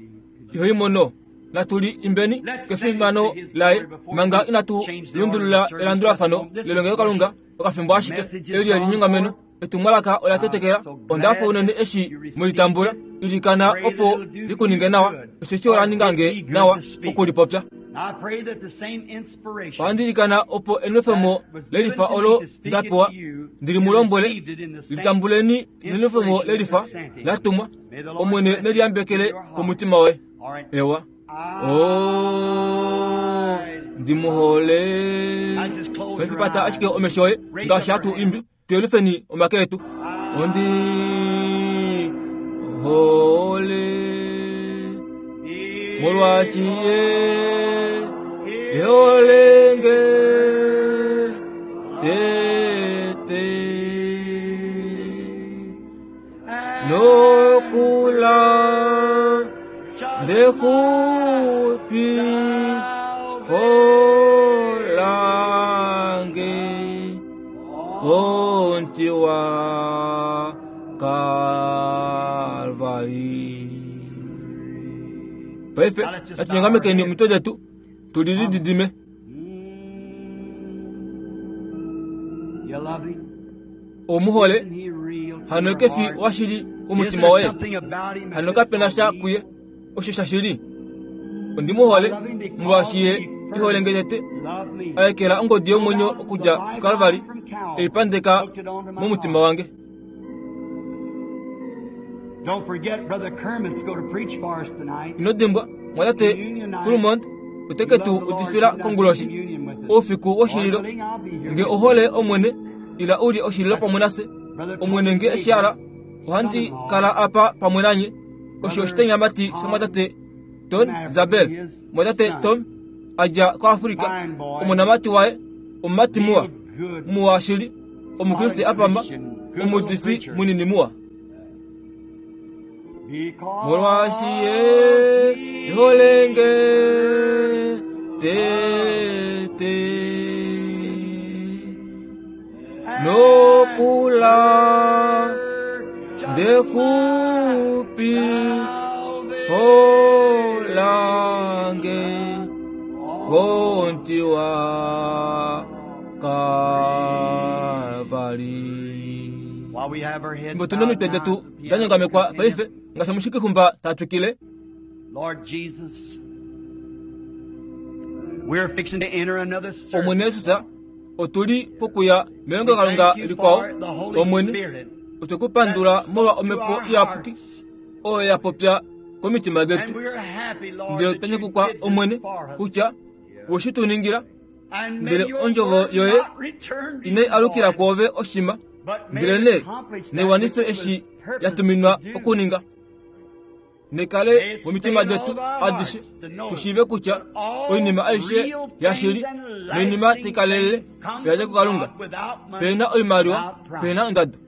Iho i mono. Natu li imbeni kefimano laye manga inatu lundulula elandulafano lelongelokalunga okafimbo ashike. Eli elinyongameno, etumwalaka ola tetekela. Onda hafa unene eshi mwe li tambula. Ilikana opo li ku ninge nawa, osheshi ola ninga nge nawa oku li popya. Ohandi ilikana opo enwefemo lelifa olo nda pewa ndi li mu lombwele, litambuleni nenwefemo lelifa la tumwa, Omwene ne liyambekele komutima woye. Ewa. O, ndi mu hole. Paife pata ashike omesho oye ngaashi hatu imbi. Tuyelufeni omake etu. Ondi hole molwaashi ye e hole nge tete nokula ndexupi folange komuti wa Kalvari. Paife natunyongamekeni omitwe detu tu lilididime. Ou mu hole hano ke fi washili komutima woye, hano kape na sha kuye osho shashili. Ondi mu hole molwaashi ye e hole nge tete, a ekela ongodi yomwenyo okudja kuKalvari e i pandeka momutima wange. Ino dimbwa, mwatate Kulmond ote ke tu udifila konguloshi oufiku woshililo. Nge ohole Omwene, ila u lye oshililo pamwe nafye. Omwene nge eshi ala, ohandi kala apa pamwe nanye. Osho oshitenyamati shomwatate Ton Zabel, mwatate Tom a dja koAfrika, omonamati waye, omumati muwa, muwa shili, Omukriste a pama, omuudifi munini muwa. Molwaashi ye e hole nge tete nokula ndekupi folange konti wa Kalvari. Fimbo tu nomitwe detu da nyongamekwa paife, ngaashi omushikixumba ta twikile. Omwene Jesus, otu li pokuya melongelokalunga likwao. Omwene, otwe ku pandula molwa Omhepo Iyapuki oyo ya popya komitima detu. Ndele otwa nyakukwa, Omwene, kutya we shi tu ningila. Ndele ondjovo yoye inai alukila kwoove oshima, ndelenee nai wanife eshi ya tuminwa okuninga. Nekale momitima detu adishe tu shiive kutya oinima aishe yashili noinima tai kalelele oya dja kuKalunga. Pe na oimaliwa, pe na ondado.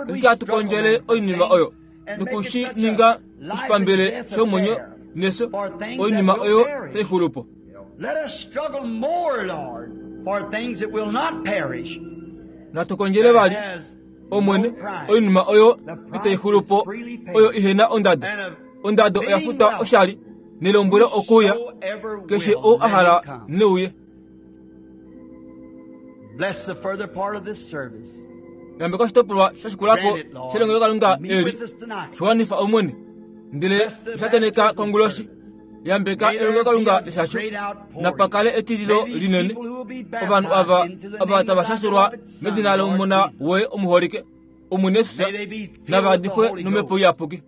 Ashike hatu kondjele oinima oyo noku shi ninga oshipambele shomwenyo nefyo, oinima oyo tai xulu po. Natu kondjele vali, Omwene, oinima oyo itai xulu po, oyo ihe na ondado. Ondado oya futwa oshali, nelombwelo okuuya, keshe ou a hala ne uye. Yambeka oshitopolwa sha shikula ko shelongelokalunga eli, shiwanifa Omwene, ndele shateneka konguloshi. Yambeka elongelokalunga leshasho, napa kale etililo linene. Ovanhu ava ava tava shashelwa medina lOmona woye omuholike, Omwene Jesus, nava adifwe nomhepo iyapuki.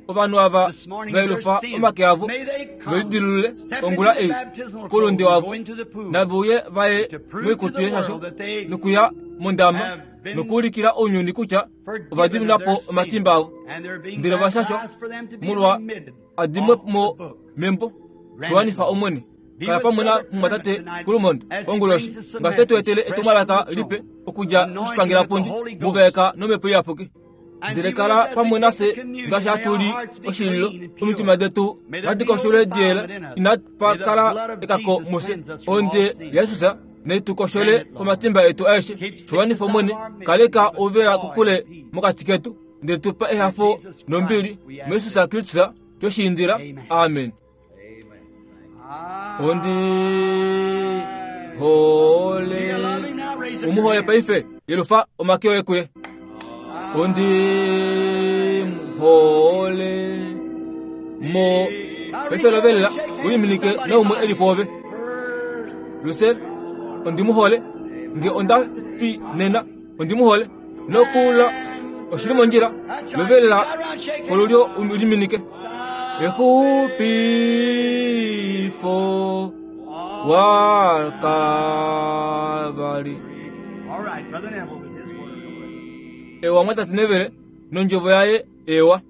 Ovanhu ava va yelufa omake avo ve lidilulule ongula ei koulunde wavo, nave uye va ye moikutu yeshasho nokuya mondama nokuulikila ounyuni kutya ova dimina po omatimba avo, ndele ova shashwa molwa a dimwe mo membo. Shiwanifa Omwene. Kala pamwe namumwatate Kulumond konguloshi ngaashi te tu etele etumwalaka lipe okudja koshipangelapundi mu vaeka nomhepo iyapuki. Ndele kala pamwe nafye ngaashi hatu li oshililo, omitima detu nadi koshole diyela, inapa kala ekako mufye. Ohonde yaJesus nai tu koshole komatimba etu aeshe. Shiwanifa Omwene, kaleka ouvela kokule mokati ketu, ndele tu pa ehafo nombili muJesus Kristus twe shi indila. Amen. Ondi hole u mu hole paife yelufa omake oye kuye ondi hole mo Paife lovelela u liminike naumwe e li pwoove. Lucille, ondi mu hole. Nge onda fi nena, ondi mu hole. Nokula oshi li mondjila. Lovelela kolulyo u liminike. Exupifo waKalvari. All right, Brother Neville with his word. Ewa mwatate Neville nondjovo yaye ewa.